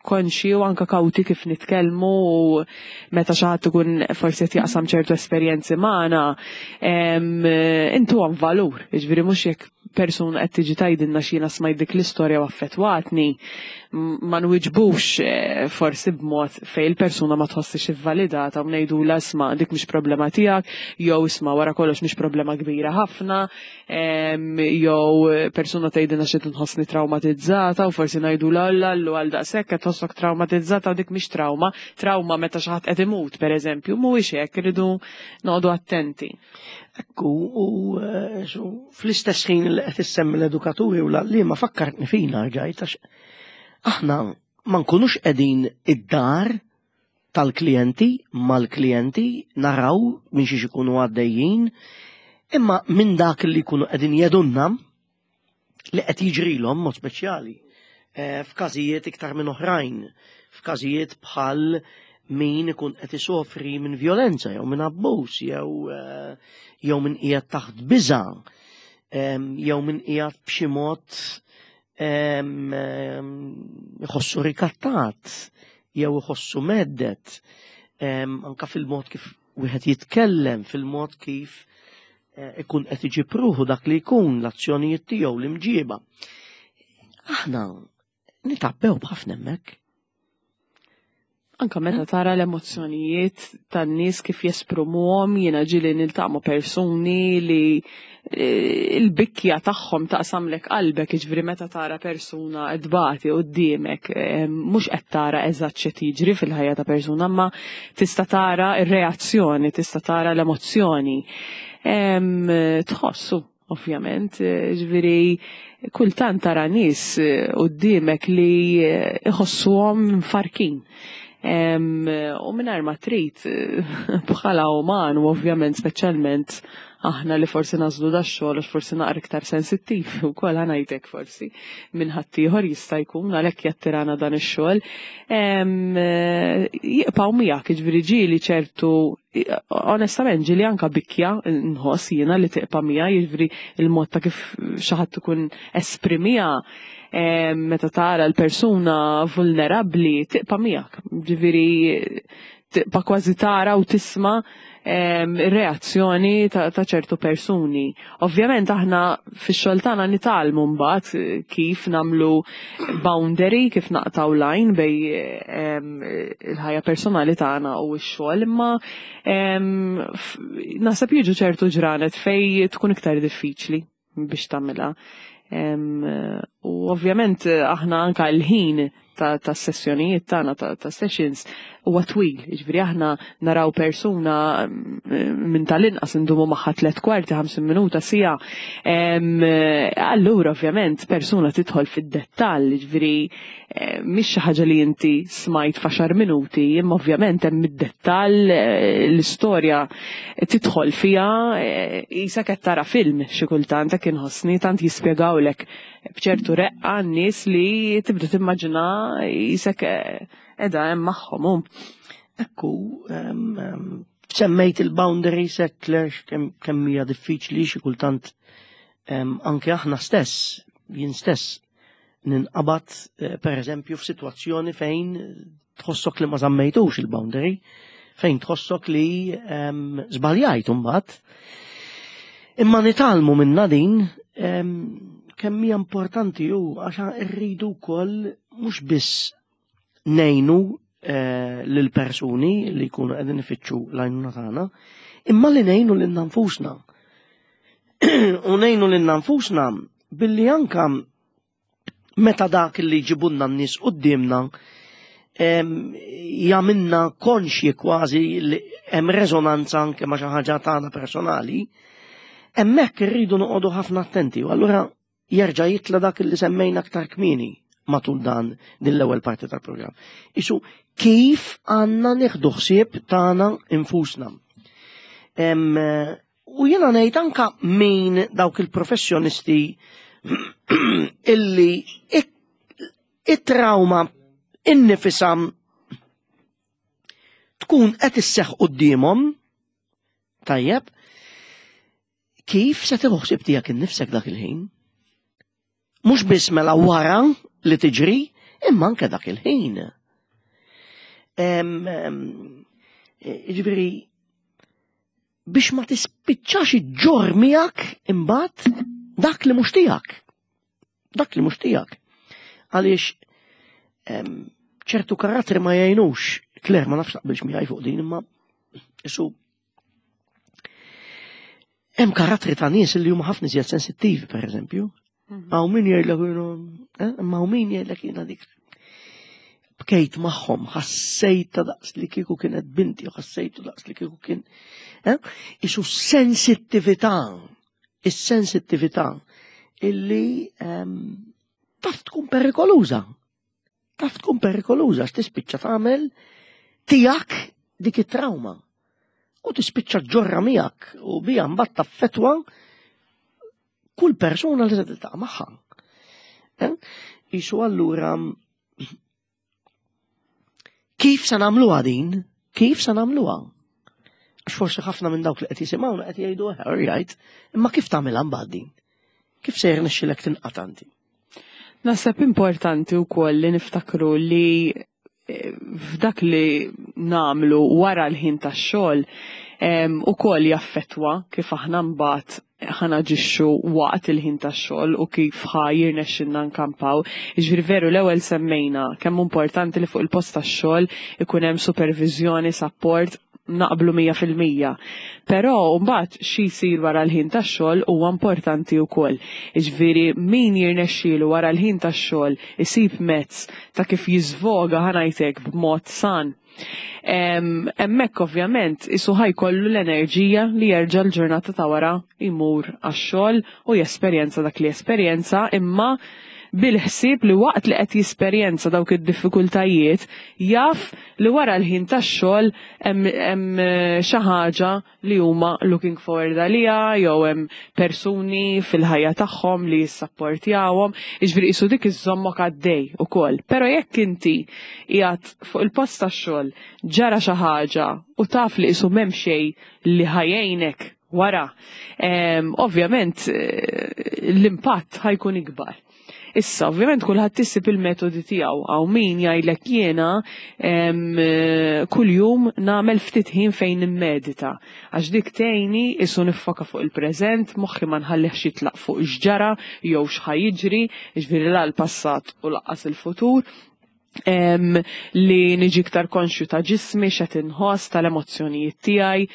konxi u anka kawti kif nitkellmu, u meta xi ħadd ikun forsi qed jaqsam ċertu esperjenzi magħna, intuhom valur, jiġifieri mhux jekk persuna qed tiġi tgħidilna x'jiena smajt dik l-istorja u affettwatni, ma nwiġbux eh, forsi b'mod fejn il-persuna ma tħossix ivvalidata u ngħidulha: "Isma', dik mhix problema tiegħek", jew "Isma', wara kollox mhix problema kbira ħafna", jew persuna tgħidilna xi nħossni traumatizzata u forsi ngħidulha: "Alla allu, għal daqshekk qed tħossok traumatizzata u dik mhix trauma, trauma meta xi ħadd qed imut pereżempju", mhuwiex hekk, irridu noqogħdu attenti. Ekku, u eh, fl-istess ħin li qed issemmi l-edukaturi u l-għalliema fakkartni fina ġajt, għax aħna ma nkunux qegħdin id-dar tal-klijenti, mal-klijenti, naraw minn xiex ikunu għaddejjin, imma minn dak li jkunu qegħdin jgħidulna li qed jiġrilhom, mod speċjali eh, f'każijiet iktar minn oħrajn, f'każijiet bħal min ikun qed isofri minn violenza jew minn abbuż jew eh, jew minn qiegħed taħt biża' jew minn qiegħed b'xi mod iħossu rikattat jew iħossu mhedded, anka fil-mod kif wieħed jitkellem, fil-mod kif eh, ikun qed iġib ruħu dak li jkun, l-azzjonijiet tiegħu, l-imġiba. Aħna nitgħabbew b'ħafna hemmhekk. Anka meta tara l-emozzjonijiet tan-nies kif jesprimuhom, jiena ġieli niltaqa' ma' persuni li eh, il-bikja tagħhom taqsamlek qalbek, jiġifieri meta tara persuna tbati quddiemek, eh, mhux qed tara eżatt x'qed jiġri fil-ħajja ta' persuna, ma tista' tara r-reazzjoni, tista' tara l-emozzjoni. Tħossu, ovvjament, eh, ġifieri kultant tara nies quddiemek li iħossuhom mfarrkin. U mingħajr ma trid, bħala uman, u ovvjament speċjalment aħna li forsi nagħżlu dax-xogħol għax forsi naqra iktar sensittiv ukoll, ħa ngħidlek, forsi minn ħaddieħor jista' jkun, għalhekk jattirana dan ix-xogħol. Jibqgħu miegħek, jiġifieri ġieli ċertu, onestament, ġieli anka bikja nħoss jiena li tibqa' miegħi, jiġifieri il-mod ta' kif xi ħadd ikun esprimiha meta tara l-persuna vulnerabbli tibqa' miegħek. Ġifieri tibqa' kważi tara u tisma' reazzjoni ta' ċertu persuni. Ovvjament aħna fix-xogħol tagħna nitgħallmu mbagħad kif nagħmlu boundary, kif naqtgħu line bejn il-ħajja personali tagħna u x-xogħol, imma naħseb jiġu ċertu ġranet fejn tkun iktar diffiċli biex tagħmilha. U ovvjament aħna anka l-ħin ta', ta sessjonijiet tagħna, ta', ta sessions, huwa twil. Jiġifieri aħna naraw persuna mm, minn tal-inqas indumu magħha tliet kwarti, ħamsin minuta, siegħa. Allura ovvjament persuna tidħol fid-dettall, jiġifieri eh, mhix xi ħaġa li inti smajt f'għaxar minuti, imma ovvjament hemm id-dettall, eh, l-istorja tidħol fiha, qisek qed tara film xi kultant, hekk inħossni, tant jispjegawlek b'ċertu reqqa n-nies li tibda timmaġina qisek qiegħda hemm magħhom. Ekku, semmejt il-boundaries, Claire, kemm hija diffiċli xi kultant anke aħna stess, jien stess, ninqabad eh, per eżempju f'sitwazzjoni fejn tħossok li ma żammejtux il-boundary, fejn tħossok li żbaljajt imbagħad. Imma nitgħallmu minna din kemm hija importanti ju għax irridu wkoll mhux biss ngħinu eh, lil persuni li jkunu qegħdin ifittxu l-għajnuna tagħna, imma li ngħinu lil nfusna. U ngħinu lil nfusna billi anka meta dak li jġibulna n-nies quddiemna jagħmilna konxji kważi li hemm rezonanza anke ma' xi ħaġa tagħna personali, hemmhekk irridu noqogħdu ħafna attenti u allura jerġa' jitla dak li semmejna aktar kmieni matul dan din l-ewwel parti tal-programm. Isu kif għandna nieħdu ħsieb tagħna infusna. U jiena ngħid anka min dawk il-professjonisti illi it-trauma innifisha tkun qed isseħħ quddiemhom, tajjeb, kif se tieħu ħsieb tiegħek innifsek dak il-ħin? Mhux biss mela wara li tiġri, imma anke dak il-ħin. Ġifieri, biex ma tispiċċax iġġorr miegħek imbagħad dak li mhux tiegħek. Dak li mhux tiegħek. Għaliex ċertu karattri ma jgħinux. Claire, ma nafx taqbilx miegħi fuq din, imma isu hemm karattri ta' nies li huma ħafna iżjed sensittivi, per eżempju. Hawn min jgħidlek, eh, imma hawn min jgħidlek jiena dik bkejt magħhom, ħassejta daqs li kieku kienet binti, u ħassejtu daqs li kieku kien. Eh? Isu sensittività, is-sensittività illi ehm, taf tkun perikoluża. Taf tkun perikoluża, tispiċċa tagħmel tiegħek dik it-trauma. U tispiċċa ġġorrha miegħek u bija mbagħad taffetwa kull persuna li se tiltaqa' magħha. Eh? Isu allura kif se nagħmluha din? Kif se nagħmluha? Għax forsi ħafna minn dawk li qed jisimgħuna qed jgħidu, "Right, imma kif tagħmilha mbagħad din? Kif se jirnexxilek tinqata' inti?" Naħseb importanti wkoll li niftakru li eh, f'dak li nagħmlu wara l-ħin tax-xogħol ukoll jaffettwa kif aħna mbagħad ħa naġixxu waqt il-ħin tax-xogħol u kif ħa jirnexxilna nkampaw. Jiġifieri veru, l-ewwel semmejna kemm importanti li fuq il-post tax-xogħol ikun hemm supervizjoni, support, naqblu mija fil-mija. Però mbagħad xi jsir wara l-ħin tax-xogħol huwa importanti wkoll. Jiġifieri min jirnexxielu wara l-ħin tax-xogħol isib mezz ta' kif jiżvoga, ħa ngħidlek, b'mod san. Hemmhekk ovvjament isu ħa jkollu l-enerġija li jerġa' l-ġurnata ta' wara jmur għax-xogħol u jesperjenza dak li esperjenza, imma Bil-ħsieb li waqt li qed jesperjenza dawk id-diffikultajiet, jaf li wara l-ħin tax-xogħol hemm xi ħaġa li huma looking forward għaliha jew hemm persuni fil-ħajja tagħhom li jissapportjawhom, jiġifieri qisu dik iżżommok għaddej ukoll. Però jekk inti qiegħed fuq il-post tax-xogħol ġara xi ħaġa u taf li qisu m'hemm xejn li ħa jgħinek wara, ovvjament l-impatt ħa jkun ikbar. Issa, ovvjament kulħadd isib il-metodi tiegħu, hawn min jgħidlek jiena kuljum nagħmel ftit ħin fejn nimmedita. Għax dik tgħinni qisu niffoka fuq il-preżent, moħħi ma nħallihx jitlaq fuq x'ġara jew x'ħa jiġri, jiġifieri la l-passat u lanqas il-futur. Em, li niġi iktar konxju ta' ġismi, x'qed inħoss, tal-emozzjonijiet tiegħi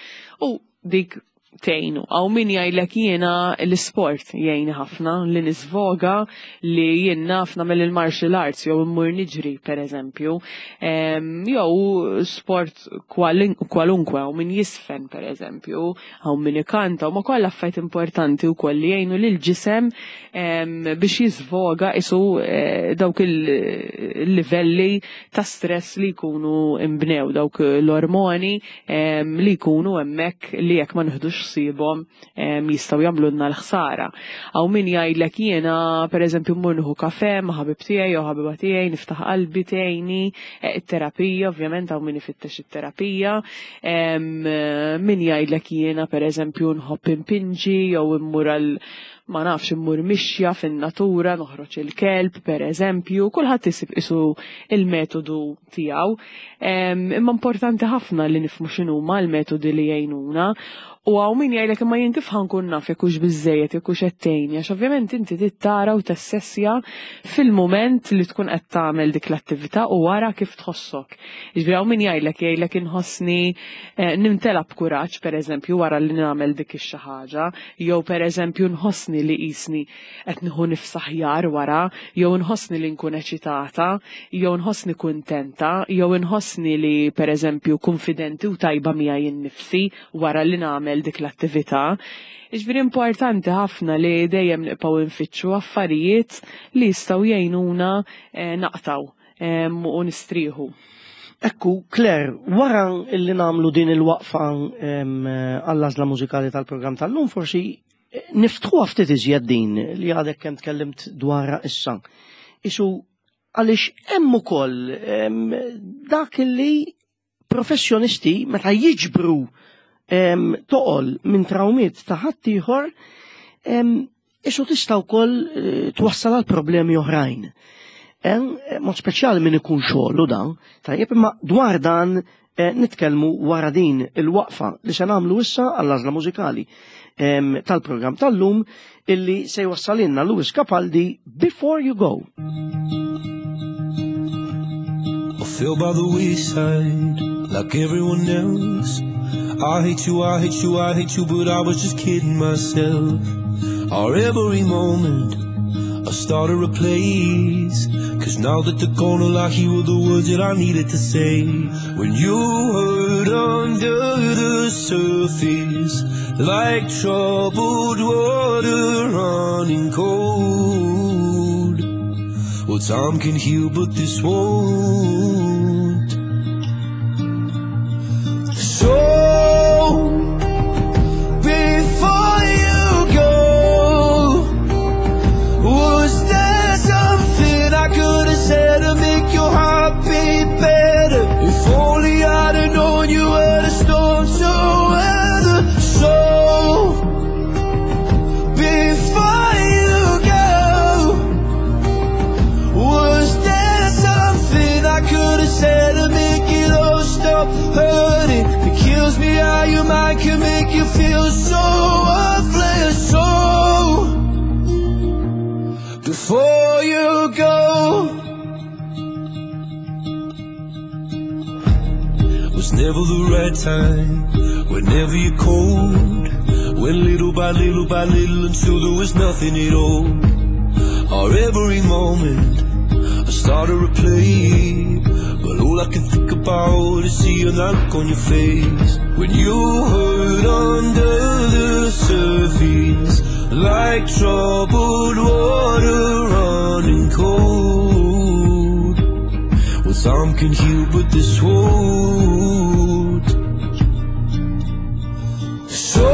u dik tgħinu. Hawn min jgħidlek jiena l-isport jgħinni ħafna li nisvoga li jien naf nagħmel il-martial arts jew immur niġri pereżempju. Jew sport kwalunkwe, hawn min jiżfen pereżempju, hawn min ikanta, huma kollha affarijiet importanti wkoll li jgħinu lil ġisem biex jisvoga qisu eh, dawk il-livelli ta' stress li jkunu imbnew, dawk l-ormoni li jkunu hemmhekk li jekk ma nieħdux ħsiebhom jistgħu jagħmlulna l-ħsara. Hawn min jgħidlek jiena pereżempju mmur nieħu kafè ma' ħabib tiegħi jew ħabiba tiegħi, niftaħ qalbi tgħinni, eh, it-terapija ovvjament hawn min ifittex it-terapija. Min jgħidlek jiena pereżempju nħobb impinġi jew immur għal ma nafx immur mixja fin-natura, noħroġ il-kelb pereżempju, kulħadd isib qisu il-metodu tiegħu. Imma importanti ħafna li nifhmu x'inhuma l-metodi li jgħinuna. U hawn min jgħidlek imma jien kif ħa nkun naf jekk hux biżejjed, jekk hux qed tgħinni, għax ovvjament inti trid tara u tassessja fil-mument li tkun qed tagħmel dik l-attività u wara kif tħossok. Jiġifieri hawn min jgħidlek jgħidlek inħossni eh, nimtela b'kuraġġ pereżempju wara li nagħmel dik ix-xi ħaġa, jew pereżempju nħossni li qisni qed nieħu nifs aħjar wara, jew nħossni li nkun eċitata, jew nħossni kuntenta, jew inħossni li pereżempju konfidenti u tajba miegħi nnifsi wara li nagħmel dik l-attività. Jiġifieri importanti ħafna li dejjem nibqgħu nfittxu affarijiet li jistgħu jgħinuna eh, naqtgħu u nistrieħu. Ekku, Claire, wara illi nagħmlu din il-waqfa għall-għażla mużikali tal-programm tal-lum, forsi eh, niftħu ftit iżjed din li għadek kemm tkellimt dwarha issa. Isu għaliex hemm ukoll dak li professjonisti meta jiġbru toqol minn trawmiet ta' ħaddieħor isu tista' wkoll eh, twassal għal problemi oħrajn. Mod speċjali min ikun xogħlu dan, tajjeb imma dwar dan eh, nitkellmu wara din il-waqfa li se nagħmlu issa għall-għażla mużikali tal-programm tal-lum illi se jwassalinna Lewis Capaldi Before You Go. I fell by the wayside like everyone else. I hate you, I hate you, I hate you, but I was just kidding myself. Our every moment, I started a place. Cause now that they're gone, all I hear were the words that I needed to say. When you hurt under the surface, like troubled water running cold. Well, time can heal, but this won't. So, before you go, was there something I could have said to make your heart beat better? If only I'd have known you were the storm to weather. So, before you go, was there something I could have said to make it all stop hurting? It kills me how your mind can make you feel so worthless. So, before you go, was never the right time. Whenever you're cold, went little by little by little until there was nothing at all. Our every moment, I started to play, but all I can think about is seeing that look on your face. When you hurt under the surface, like troubled water running running cold. Well, time can heal, but this won't. So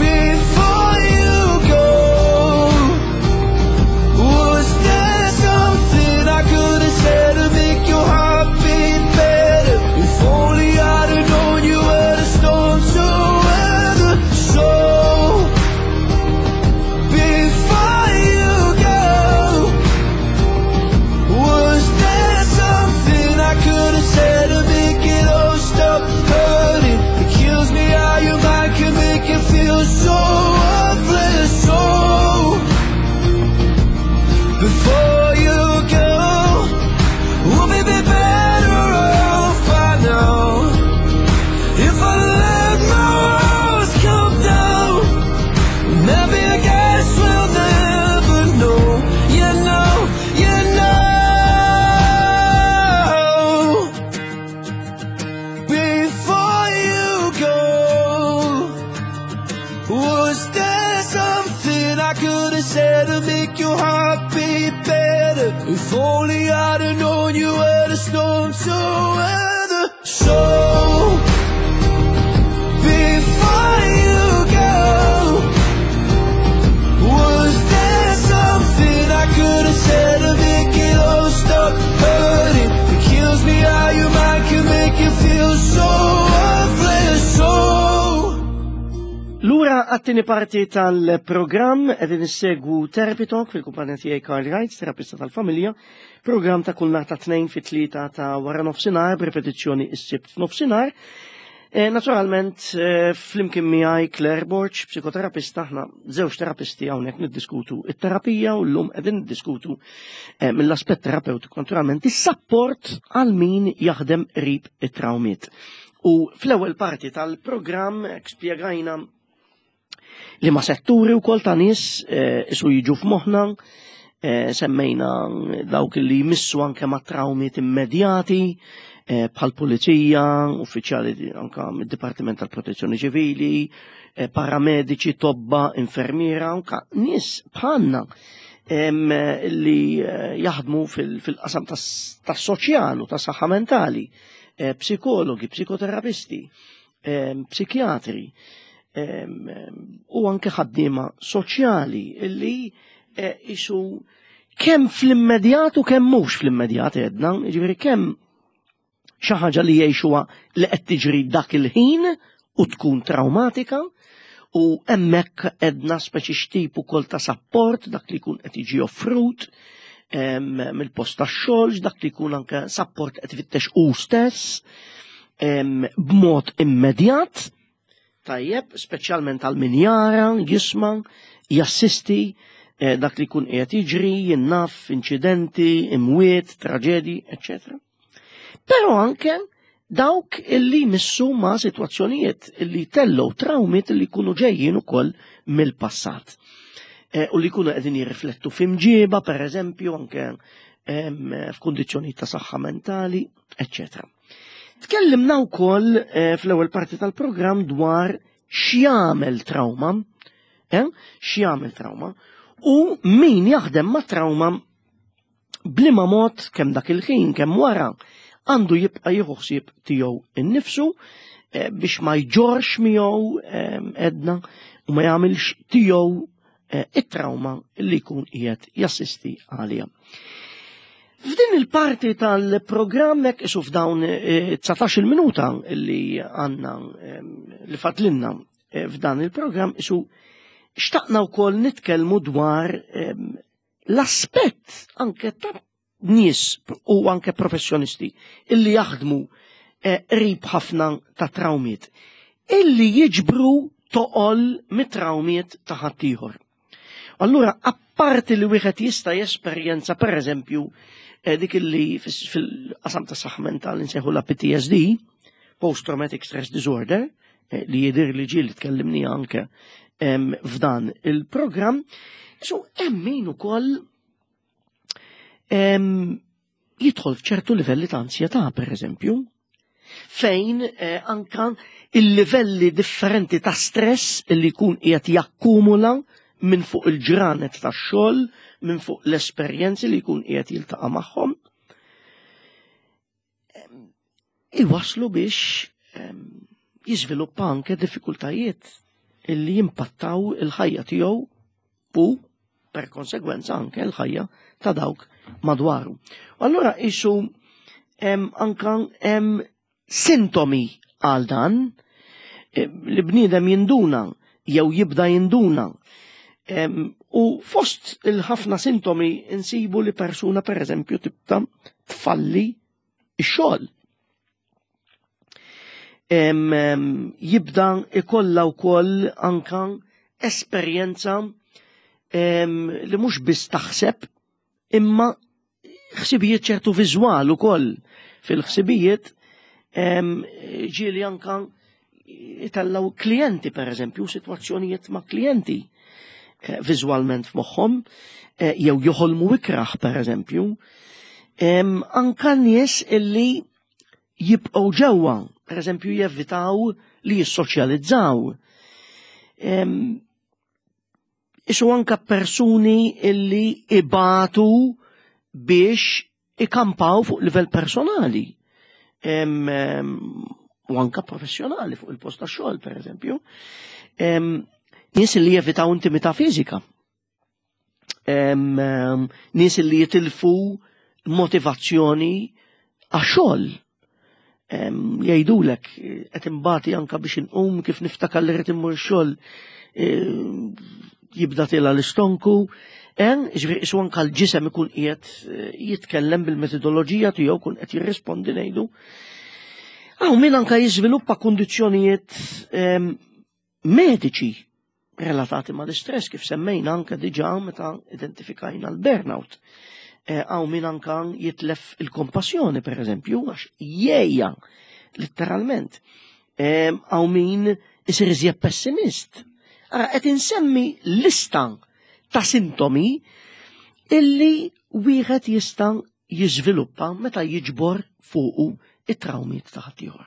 before you go, was there something I could have said to make your heart beat better? If only I'd have known you were the storm to weather. So before you go, was there something I could have said to make it all stop hurting? It kills me how your mind can make you feel so worthless. So before you go, we'll be better off by now if I let my walls come down. Maybe I guess we'll never know. You know, you know. Before you go, was there something I could have said to make your heart beat better? If only I'd have known you were the storm to weather. So before you go, was there something I could have said to make it all stop hurting? It kills me how your mind can make you feel so worthless. So Lura għat-tieni parti tal-programm, qegħdin issegwu Therapy Talk fil-kumpanija tiegħi Karl Wright, terapista tal-familja, programm ta' kull nhar ta' Tnejn fit-tlieta ta' wara nofsinhar, b'ripetizzjoni is-Sibt f'nofsinhar. E, naturalment, e, flimkien miegħi Claire Borg, psikoterapista, aħna żewġ terapisti hawnhekk niddiskutu it-terapija u llum qegħdin niddiskutu e, mill-aspett terapeutiku naturalment is-sapport għal min jaħdem qrib it-trawmiet. U fl-ewwel parti tal-programm spjegajna li ma setturi u kol ta' nies eh, isu jiġu f'moħħna, eh, semmejna dawk li jmissu anke ma' trawmiet immedjati, eh, bħal pulizija, uffiċjali anka mid-Dipartiment tal-Protezzjoni Ċivili, eh, paramediċi, tobba, infermiera, anka nies bħalna em, li eh, jaħdmu fil-qasam tas-soċjal u tas-saħħa mentali, eh, psikologi, psikoterapisti, em, psikjatri, em, u anke ħaddiema soċjali illi eh, isu kemm fl-immedjat u kemm mhux fl-immedjat għedna, jiġifieri kemm xi ħaġa li jgħixuha li qed tiġri dak il-ħin u tkun traumatika u hemmhekk għedna speċi x'tip ukoll ta' sapport dak li jkun qed jiġi offrut em, mill-post tax-xogħol, dak li jkun anke sapport qed ifittex hu stess em, b'mod immedjat. Tajjeb, speċjalment għal min jara, jisma', jassisti eh, dak li jkun qiegħed jiġri, jinnaf, inċidenti, imwiet, traġedji, eċċetera. Però anke dawk illi missu ma' situazzjonijiet illi tellow trawmiet illi jkunu ġejjin ukoll mill-passat. Eh, u li jkunu qegħdin jirriflettu f'imġiba, per eżempju, anke em, f'kundizzjoni ta' saħħa mentali, eċċetera. Tkellimna wkoll eh, fl-ewwel parti tal-programm dwar x'jagħmel trauma, eh? x'jagħmel trauma, u min jaħdem ma' trauma b'liema mod kemm dak il-ħin kemm wara għandu jibqa' jieħu ħsieb tiegħu innifsu eh, biex ma jġorx miegħu eh, edna u ma jagħmilx tiegħu eh, it-trauma li jkun qiegħed jassisti għalija. F'din il-parti tal-programm hekk isu f'dawn dsatax-il minuta li għandna li fadlilna f'dan il-programm isu xtaqna wkoll nitkellmu dwar l-aspett anke ta' nies u anke professjonisti illi jaħdmu qrib ħafna ta' trawmiet illi jiġbru toqol mit-trawmiet ta' ħaddieħor. Allura, apparti li wieħed jista' jesperjenza per eżempju dik illi fil-qasam ta' saħħa mentali nsejħu la P T S D, Post Traumatic Stress Disorder, li jidir li ġieli tkellimni anke f'dan il-programm, so hemm min ukoll jidħol f'ċertu livelli ta' ansjetà, per eżempju, fejn eh, anka il-livelli differenti ta' stress li jkun qiegħed jakkumula minn fuq il-ġranet tax-xogħol, minn fuq l-esperjenzi li jkun qiegħed jiltaqa' magħhom. Iwaslu biex jiżviluppa anke diffikultajiet illi jimpattaw il-ħajja tiegħu u per konsegwenza anke l-ħajja ta' dawk madwaru. U allura isu anka hemm sintomi għal dan li bniedem jinduna jew jibda jinduna. U fost il-ħafna sintomi insibu li persuna per eżempju tibda tfalli x-xogħol. Jibda ikolla wkoll anka esperjenza li mhux biss taħseb imma ħsibijiet ċertu viżwal ukoll fil-ħsibijiet ġieli anka jitellaw klijenti per eżempju, sitwazzjonijiet ma' klijenti viżwalment f'moħħhom, jew joħolmu ikraħ per eżempju. Anka nies illi jibqgħu ġewwa, per eżempju jevitaw li jissoċjalizzaw. Isu anka persuni illi ibatu biex ikampaw fuq livell personali. U anka professjonali fuq il-post ta' xogħol, per eżempju. Nies li jevitaw intimità fiżika. Nies li jitilfu motivazzjoni għax-xogħol. Jgħidulek qed imbati anka biex inqum kif niftakar li rrid immur xogħol jibda tila l-istonku. Ġifieri isu anka l-ġisem ikun qiegħed jitkellem bil-metodoloġija tiegħu kun qed jirrispondi ngħidu. Hawn min anka jiżviluppa kundizzjonijiet mediċi relatati mal-istress kif semmejna anka diġà meta identifikajna l-burnout. Hawn min anka jitlef il-kompassjoni per eżempju għax jgħejja letteralment. Hawn min isir iżjed pessimist. Ara qed insemmi lista ta' sintomi illi wieħed jista' jiżviluppa meta jiġbor fuqu it-trawmiet ta' ħaddieħor.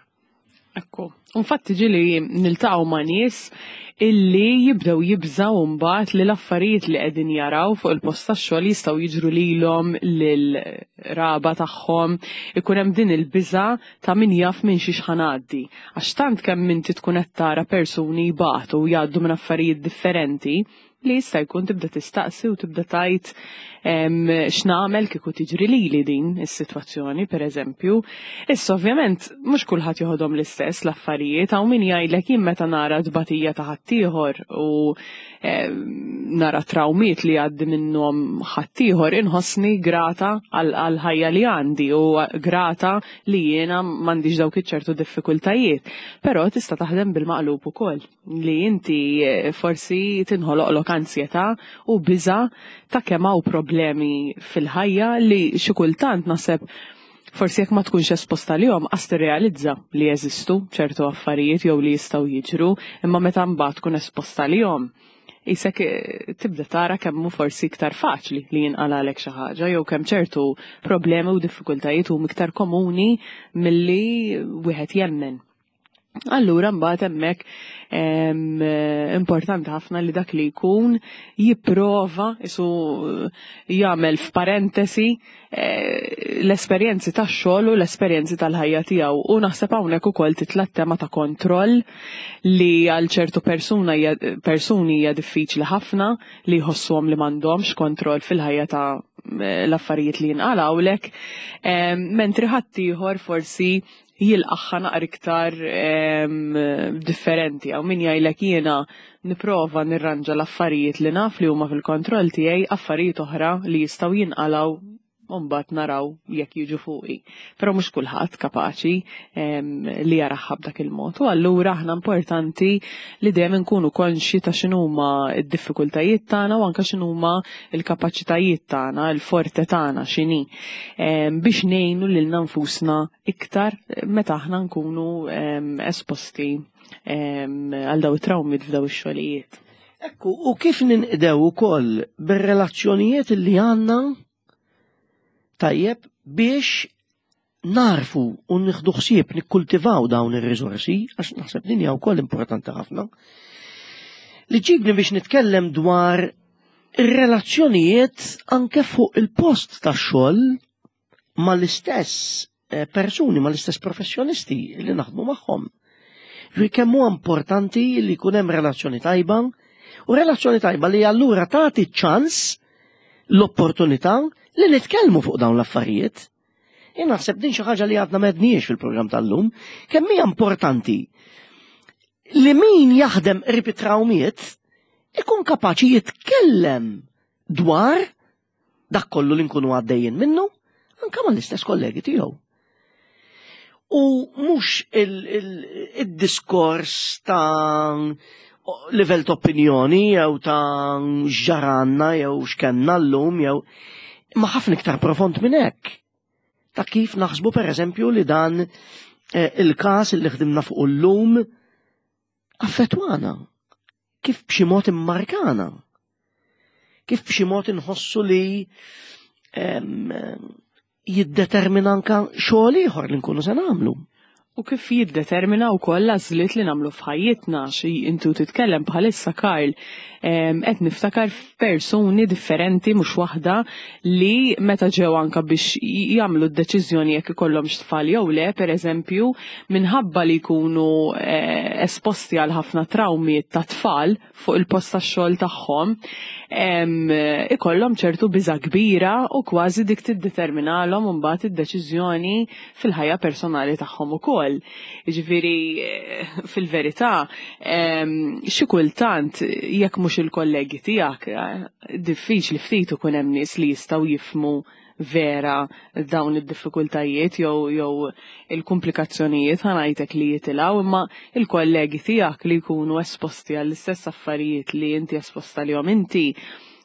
Ekku. Infatti ġieli niltaqgħu ma' nies illi jibdew jibżaw mbagħad li l-affarijiet li qegħdin jaraw fuq il-post tax-xogħol jistgħu jiġru lilhom lil-raba tagħhom, ikun hemm din il-biża' ta' min jaf minn xi x'ħanaddi. Għax tant kemm inti tkun qed tara persuni jbatu u jgħaddu minn affarijiet differenti li jista' jkun tibda tistaqsi u tibda tajt x'nagħmel kieku tiġri lili din is-sitwazzjoni pereżempju. Issa ovvjament mhux kulħadd joħodhom l-istess l-affarijiet, hawn min jgħidlek jien meta nara tbatija ta' ħaddieħor u nara trawmiet li jgħaddi minnhom ħaddieħor inħossni grata għall-ħajja li għandi u grata li jiena m'għandix dawk iċ-ċertu diffikultajiet. Però tista' taħdem bil-maqlub ukoll li inti forsi tinħoloqlok ansjetà u biża' ta' kemm hawn problemi fil-ħajja li xi kultant naħseb forsi jekk ma tkunx esposta lihom qas tirrealizza li jeżistu ċertu affarijiet jew li jistgħu jiġru, imma meta mbagħad tkun esposta lihom isek tibda tara kemm hu forsi iktar faċli li jinqalalek xi ħaġa jew kemm ċertu problemi u diffikultajiet huma iktar komuni milli wieħed jemmen. Allura mbagħad hemmhekk importanti ħafna li dak li jkun jipprova isu jagħmel f'parentesi l-esperjenzi tax-xogħol u l-esperjenzi tal-ħajja tiegħu. U naħseb hawnhekk ukoll titla' tema ta' kontroll li għal ċertu persuna persuni hija diffiċli ħafna li jħossuhom li m'għandhomx kontroll fil-ħajja ta' l-affarijiet li jinqalgħulek, mentri ħaddieħor forsi jilqaħħa naqra iktar differenti. Għaw min jgħidlek jiena nipprova nirranġa l-affarijiet li naf li huma fil-kontroll tiegħi, affarijiet oħra li jistgħu jinqalgħu u mbagħad naraw jekk jiġu fuqi. Però mhux kulħadd kapaċi li jaraħħa b'dak il-mod. U allura aħna importanti li dejjem inkunu konxji ta' x'inhuma d-diffikultajiet tagħna u anke x'inhuma l-kapaċitajiet tagħna, il-forte tagħna x'inhi, biex ngħinu lilna nfusna iktar meta aħna nkunu esposti għal daw it-trawmiet f'daw ix-xogħlijiet. Ekku, u kif ninqdew ukoll bir-relazzjonijiet li għandna tajjeb biex narfu u nieħdu ħsieb nikkultivaw dawn ir-riżorsi, għax naħseb din hija wkoll importanti ħafna. Li ġibni biex nitkellem dwar ir-relazzjonijiet anke fuq il-post tax-xogħol mal-istess eh, persuni, mal-istess professjonisti li naħdmu magħhom. Ġifieri kemm huwa importanti li jkun hemm relazzjoni tajba u relazzjoni tajba li allura tagħti ċans l-opportunità li nitkellmu fuq dawn l-affarijiet. Jien naħseb din xi ħaġa li għadna m'għedniex fil-programm tal-lum, kemm hija importanti li min jaħdem qrib it-trawmiet ikun kapaċi jitkellem dwar dak kollu li nkunu għaddejjin minnu anka mal-istess kollegi tiegħu. U mhux il-diskors ta' livell ta' opinjoni jew ta' x'ġaralna jew x'kenna llum jew ma ħafna iktar profond minn hekk. Ta' kif naħsbu per eżempju li dan eh, il-każ li ħdimna fuq illum affettwana. Kif b'xi mod immarkana. Kif b'xi mod inħossu li em, jiddetermina anka xogħol ieħor li nkunu se nagħmlu. U kif jiddetermina wkoll l-għażliet li nagħmlu f'ħajjitna xi intu titkellem bħalissa Karl, em, qed niftakar f'persuni differenti mhux waħda li meta ġew anka biex jagħmlu d-deċiżjoni jekk ikollhomx tfal jew le, pereżempju, minħabba li jkunu eh, esposti għal ħafna trawmi ta' tfal fuq il-post tax-xogħol tagħhom, em, ikollhom ċertu biża' kbira u kważi dik tiddeterminalhom imbagħad id-deċiżjoni fil-ħajja personali tagħhom ukoll. Jiġifieri eh, fil-verità em, xi kultant jekk mhux il-kollegi tiegħek eh, diffiċli ftit ikun hemm nies li jistgħu jifhmu vera dawn id-diffikultajiet jew jew il-komplikazzjonijiet ħa ngħidlek li jitilgħu, imma il-kollegi tiegħek li jkunu esposti għall-istess affarijiet li inti esposta lihom inti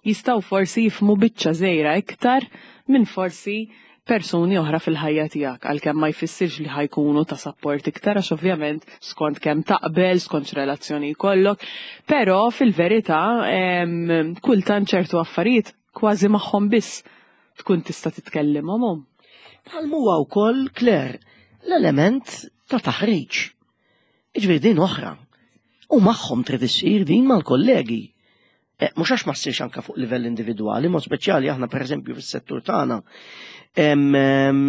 jistgħu forsi jifhmu biċċa żgħira iktar minn forsi persuni oħra fil-ħajja tiegħek, għalkemm ma jfissirx li ħa jkunu ta' support iktar għax ovvjament skont kemm taqbel, skont x'relazzjoni jkollok, però fil-verità em, kultant ċertu affarijiet kważi magħhom biss tkun tista' titkellimhom. Bħal huwa wkoll, Claire, l-element ta' taħriġ. Jiġifieri din oħra. U magħhom trid issir din mal-kollegi. Eh, Mhux għax ma ssirx anka fuq livell individwali, mod speċjali aħna pereżempju fis-settur tagħna em, em,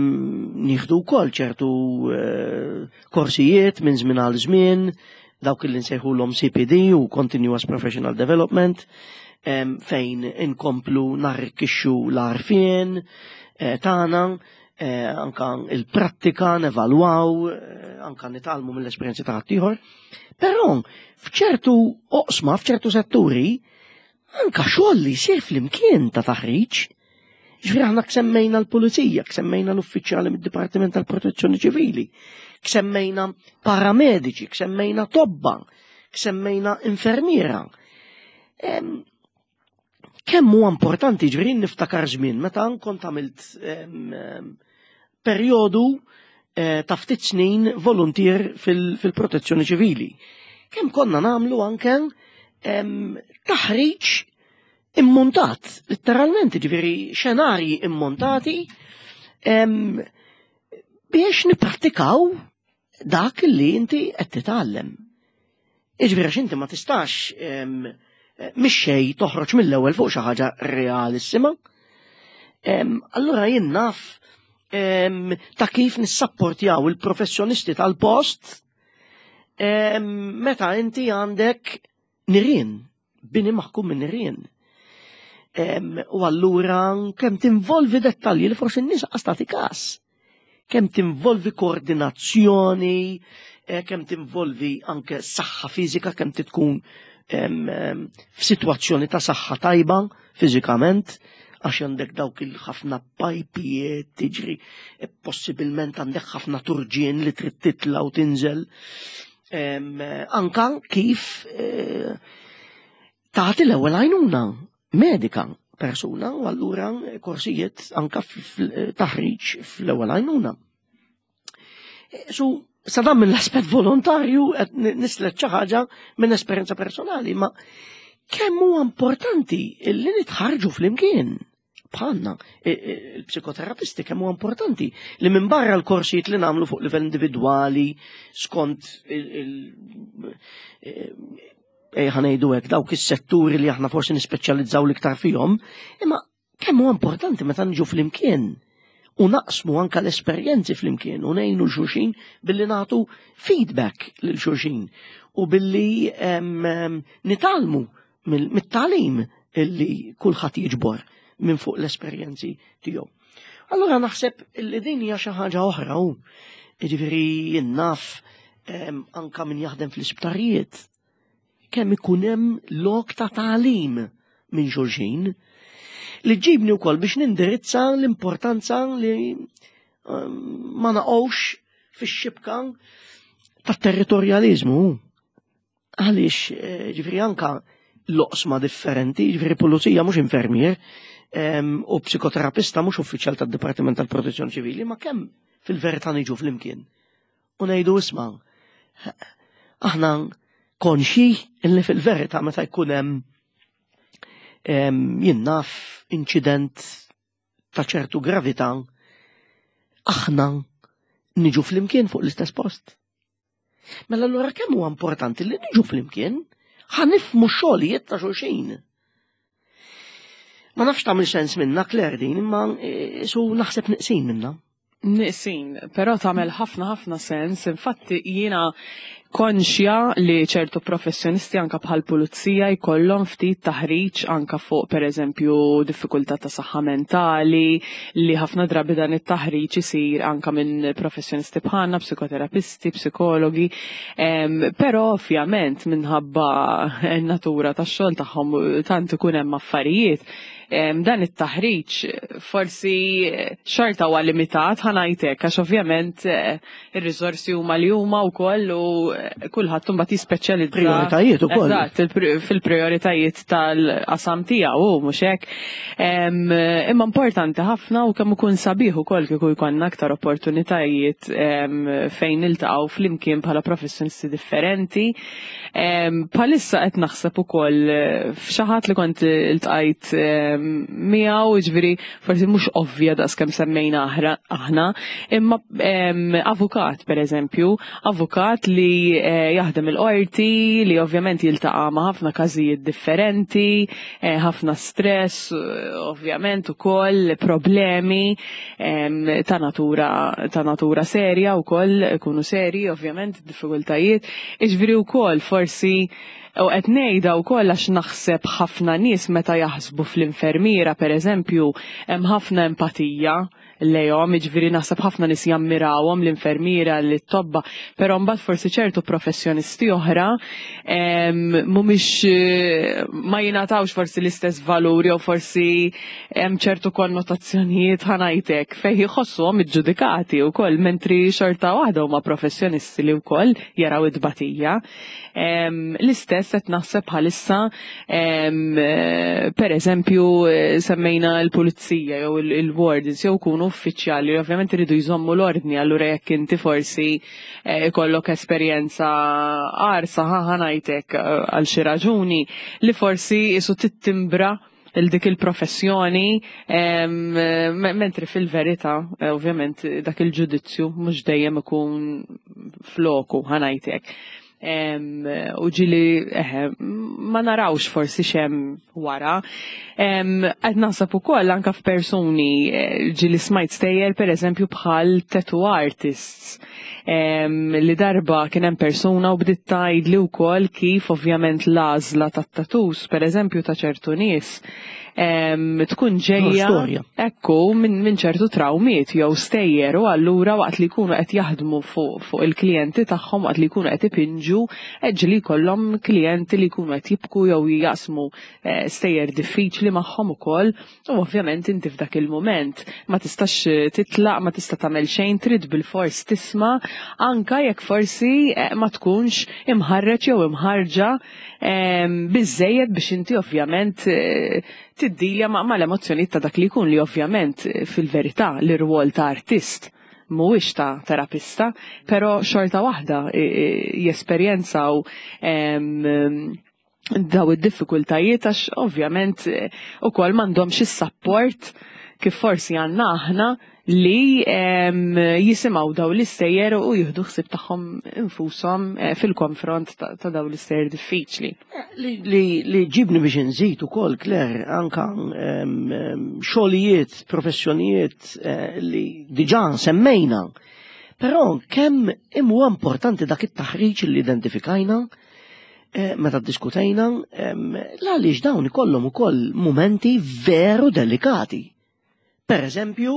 nieħdu wkoll ċertu eh, korsijiet minn żmien għal żmien, dawk li nsejħulhom C P D u Continuous Professional Development, em, fejn inkomplu narrikkixxu l-għarfien eh, tagħna, eh, anka il-prattika nevalwaw, eh, anka nitgħallmu mill-esperjenzi ta' ħaddieħor. Però f'ċertu oqsma, f'ċertu setturi, anka xogħol li jsir flimkien ta' taħriġ. Ġifieri aħna semmejna l-pulizija, semmejna l-uffiċjali mid-Dipartiment tal-Protezzjoni Ċivili, semmejna paramediċi, semmejna tobba, semmejna infermiera. Em, Kemm huwa importanti, ġifieri niftakar żmien meta kont għamilt em, em, perjodu eh, ta' ftit snin volunteer fil- fil-protezzjoni ċivili. Kemm konna nagħmlu anke em, taħriġ immontat, letteralment, ġifieri xenarji immontati em, biex nippratikaw dak li inti qed titgħallem. Jiġifieri għax inti ma tistax em, mhix xejn toħroġ mill-ewwel fuq xi ħaġa realissima. Em, Allura jien naf em, ta' kif nissapportjaw il-professjonisti tal-post em, meta inti għandek nirien, bini maħkum minn nirien. Em, U allura kemm tinvolvi dettalji li forsi n-nies qas każ. Kemm tinvolvi koordinazzjoni, eh, kemm tinvolvi anke saħħa fiżika, kemm tkun em, em, f'sitwazzjoni ta' saħħa tajba fiżikament, għax għandek dawk il-ħafna pajpijiet tiġri, e possibilment għandek ħafna turġien li trid titla' u tinżel. Em, eh, Anka kif eh, tagħti l-ewwel għajnuna medika persuna u allura korsijiet anka taħriġ fl-ewwel għajnuna. Eh, Su, sa dan mill-aspett volontarju qed nislet xi ħaġa minn esperjenza personali, ma kemm huwa importanti li nitħarġu flimkien bħalna il-psikoterapisti, kemm huwa importanti li minn barra l-korsijiet li nagħmlu fuq livell individwali skont il- il- ħa ngħidu hekk, dawk is-setturi li aħna forsi nispeċjalizzaw l-iktar fihom, imma kemm huwa importanti meta niġu flimkien u naqsmu anka l-esperjenzi flimkien u ngħinu 'l xulxin billi nagħtu feedback lil xulxin u billi nitgħallmu mit-tagħlim illi kulħadd jiġbor minn fuq l-esperjenzi tiegħu. Allura naħseb illi din hija xi ħaġa oħra u jiġifieri naf anka min jaħdem fl-isptarijiet kemm ikun hemm lok ta' tagħlim minn xulxin li ġibni wkoll biex nindirizza l-importanza li ma naqgħux fix-xibka tat-territorjalizmu. Għaliex, eh, ġifieri, anka l-oqsma differenti, ġifieri pulizija mhux infermier, u psikoterapista mhux uffiċjal tad-Dipartiment tal-Protezzjoni Ċivili, ma kemm fil-verità niġu flimkien. U ngħidu, "Isma', aħna konxi illi fil-verità meta jkun hemm, jien naf, inċident ta' ċertu gravità, aħna niġu flimkien fuq l-istess post." Mela allura kemm huwa importanti li niġu flimkien ħa nifhmu xogħlijiet ta' xulxin. Ma nafx tagħmel sens minna, Claire, din, imma e, su naħseb neqsin minna. Neqsin, però tagħmel ħafna ħafna sens. Infatti jiena konxja li ċertu professjonisti anka bħal pulizija jkollhom ftit taħriġ anka fuq, per eżempju, diffikultà ta' saħħa mentali, li ħafna drabi dan it-taħriġ isir anka minn professjonisti bħalna, psikoterapisti, psikologi, però ovvjament minħabba n-natura tax-xogħol tagħhom tant ikun hemm affarijiet, dan it-taħriġ forsi xorta huwa limitat, ħa ngħidlek, għax ovvjament eh, ir-riżorsi huma li huma wkoll u kulħadd imbagħad jispeċjalizza. Prioritajiet ukoll. Eżatt, fil-prioritajiet tal-qasam tiegħu, mhux hekk. Imma importanti ħafna u kemm ikun sabiħ ukoll kieku jkollna aktar opportunitajiet fejn niltaqgħu flimkien bħala professjonisti differenti. Bħalissa qed naħseb ukoll f'xi ħadd li kont iltqajt miegħu, jiġifieri forsi mhux ovvja daqs kemm semmejna aħna, imma avukat pereżempju, avukat li eh, jaħdem il-qorti, li ovvjament jiltaqa' ma' ħafna każijiet differenti, eh, ħafna stress, ovvjament ukoll problemi ta' natura ta' natura serja wkoll, ikunu seri ovvjament diffikultajiet, jiġifieri wkoll forsi u qed ngħidha wkoll għax naħseb ħafna nies meta jaħsbu fl-infermiera, pereżempju, hemm ħafna empatija lejhom, jiġifieri naħseb ħafna nies jammirawhom l-infermiera, l-tobba, però mbagħad forsi ċertu professjonisti oħra mhumiex, ma jingħatawx forsi l-istess valur jew forsi hemm ċertu konnotazzjonijiet, ħa ngħidlek, fejn jħossuhom iġġudikati wkoll, mentri xorta waħda huma professjonisti li wkoll jaraw it-tbatija. L-istess qed naħseb bħalissa, per eżempju, semmejna l-pulizija jew il-wardens jew kunu uffiċjali li ovvjament iridu jżommu l-ordni, allura jekk inti forsi ikollok esperjenza qarsa, ħa ngħidlek, għal xi raġuni li forsi isu tittimbra il dik il-professjoni, mentri fil-verità, ovvjament, dak il-ġudizzju mhux dejjem ikun floku, ħa ngħidlek. U ġieli ma narawx forsi x'hemm wara. Qed naħseb ukoll anka f'persuni, eh, ġieli smajt stejjer per eżempju bħal tattoo artists, li darba kien hemm persuna u bdiet tgħidli wkoll kif ovvjament l-għażla tat-tattoos per eżempju ta' ċertu nies tkun ġejja ekku minn min ċertu trawmiet jew stejjer, u allura waqt li jkunu qed jaħdmu fuq fu il-klijenti tagħhom, waqt li jkunu qed ipinġu, ġieli jkollhom klijenti li jkunu qed jibku jew jaqsmu eh, stejjer diffiċli magħhom ukoll, u ovvjament inti f'dak il-mument ma tistax titlaq, ma tista' tagħmel xejn, trid bil-fors tisma' anka jekk forsi eh, ma tkunx imħarreġ jew imħarġa biżejjed biex inti ovvjament eh, tiddilja ma' l-emozzjonijiet ta' dak li jkun, li ovvjament eh, fil-verità l-irwol ta' artist mhuwiex ta' terapista, però xorta waħda jesperjenzaw daw id-diffikultajiet għax ovvjament ukoll m'għandhomx is-support kif forsi għandna aħna li jisimgħu daw l-istejjer u jieħdu ħsieb tagħhom infushom eh, fil-konfront ta' daw l-istejjer diffiċli. Li, li, li ġibni biex nżid ukoll, Claire, anka xogħlijiet, professjonijiet eh, li diġà semmejna. Però kemm huwa importanti dak it-taħriġ li identifikajna eh, meta diskutejna, għaliex dawn ikollhom ukoll momenti veru delikati. Per eżempju,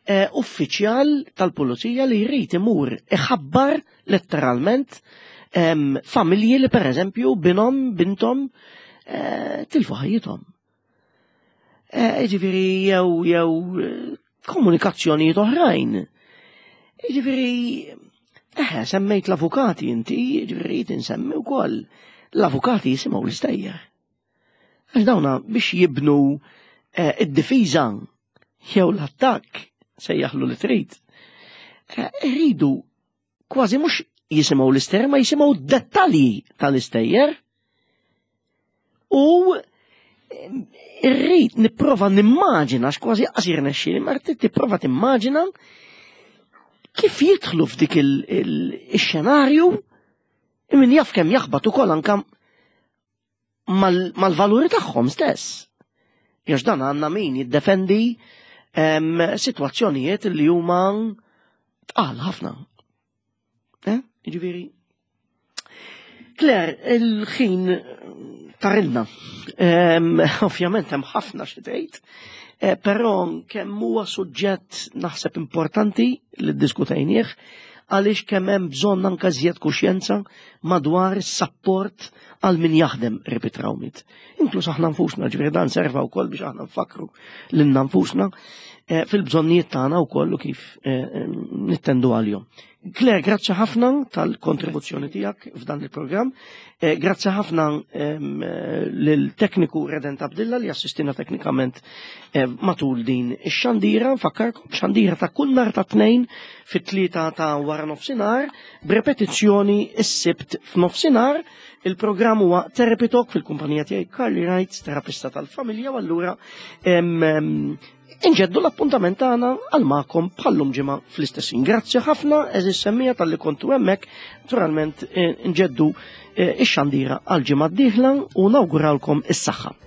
eh, uffiċjal tal-pulizija li jrid imur iħabbar letteralment em, familji li per eżempju binhom, bintom eh, tilfu ħajjithom. Eh, Ġifieri jew jew komunikazzjonijiet oħrajn. Ġifieri, eh, semmejt l-avukati inti, ġifieri tinsemmi wkoll. L-avukati jisimgħu l-istejjer. Għax dawna biex jibnu eh, id-difiża jew l-attakk sejjaħlu li trid. Eh, Rridu kważi mhux jisimgħu l-istejjer, ma jisimgħu dettalji tal-istejjer. U eh, irrid nipprova nimmaġina, x'kważi qasir nexxieli, ma rrid tipprova timmaġina kif jidħlu f'dik il-xenarju min jaf kemm jaħbat ukoll anka mal-valuri tagħhom stess. Jax dan għandna min jiddefendi situazzjonijiet li huma tqal ħafna. Eh? Ġifieri. Claire, il-ħin tarilna. Ovvjament hemm ħafna xi tgħid, eh, però kemm huwa suġġett naħseb importanti li ddiskutejnieh għaliex kemm hemm bżonn anke żjed kuxjenza madwar is-sapport għal min jaħdem qrib it-trawmiet. Inkluż aħna nfusna, ġifieri dan serva wkoll biex aħna nfakru lilna nfusna eh, fil-bżonnijiet tagħna wkoll u kif eh, nittendu għalihom. Claire, grazzi ħafna tal-kontribuzzjoni tiegħek f'dan il-programm. Eh, grazzi ħafna lil-tekniku Redent Abdilla li assistina teknikament matul din ix-xandira. Nfakkarkom xandira ta' kull nhar ta' tnejn fit-tlieta ta' wara nofsinhar, b'repetizzjoni s-sibt f'nofsinhar. Il-programm huwa Therapy Talk fil-kumpanija tiegħi Carly Wright, terapista tal-familja, u allura inġeddu l-appuntament tagħna għal magħkom bħallum ġimgħa fl-istessin. Grazzi ħafna eżis semmija talli kontu hemmhekk, naturalment nġeddu ix-xandira għal ġimgħa d-dieħla u nawgurawlkom is-saħħa.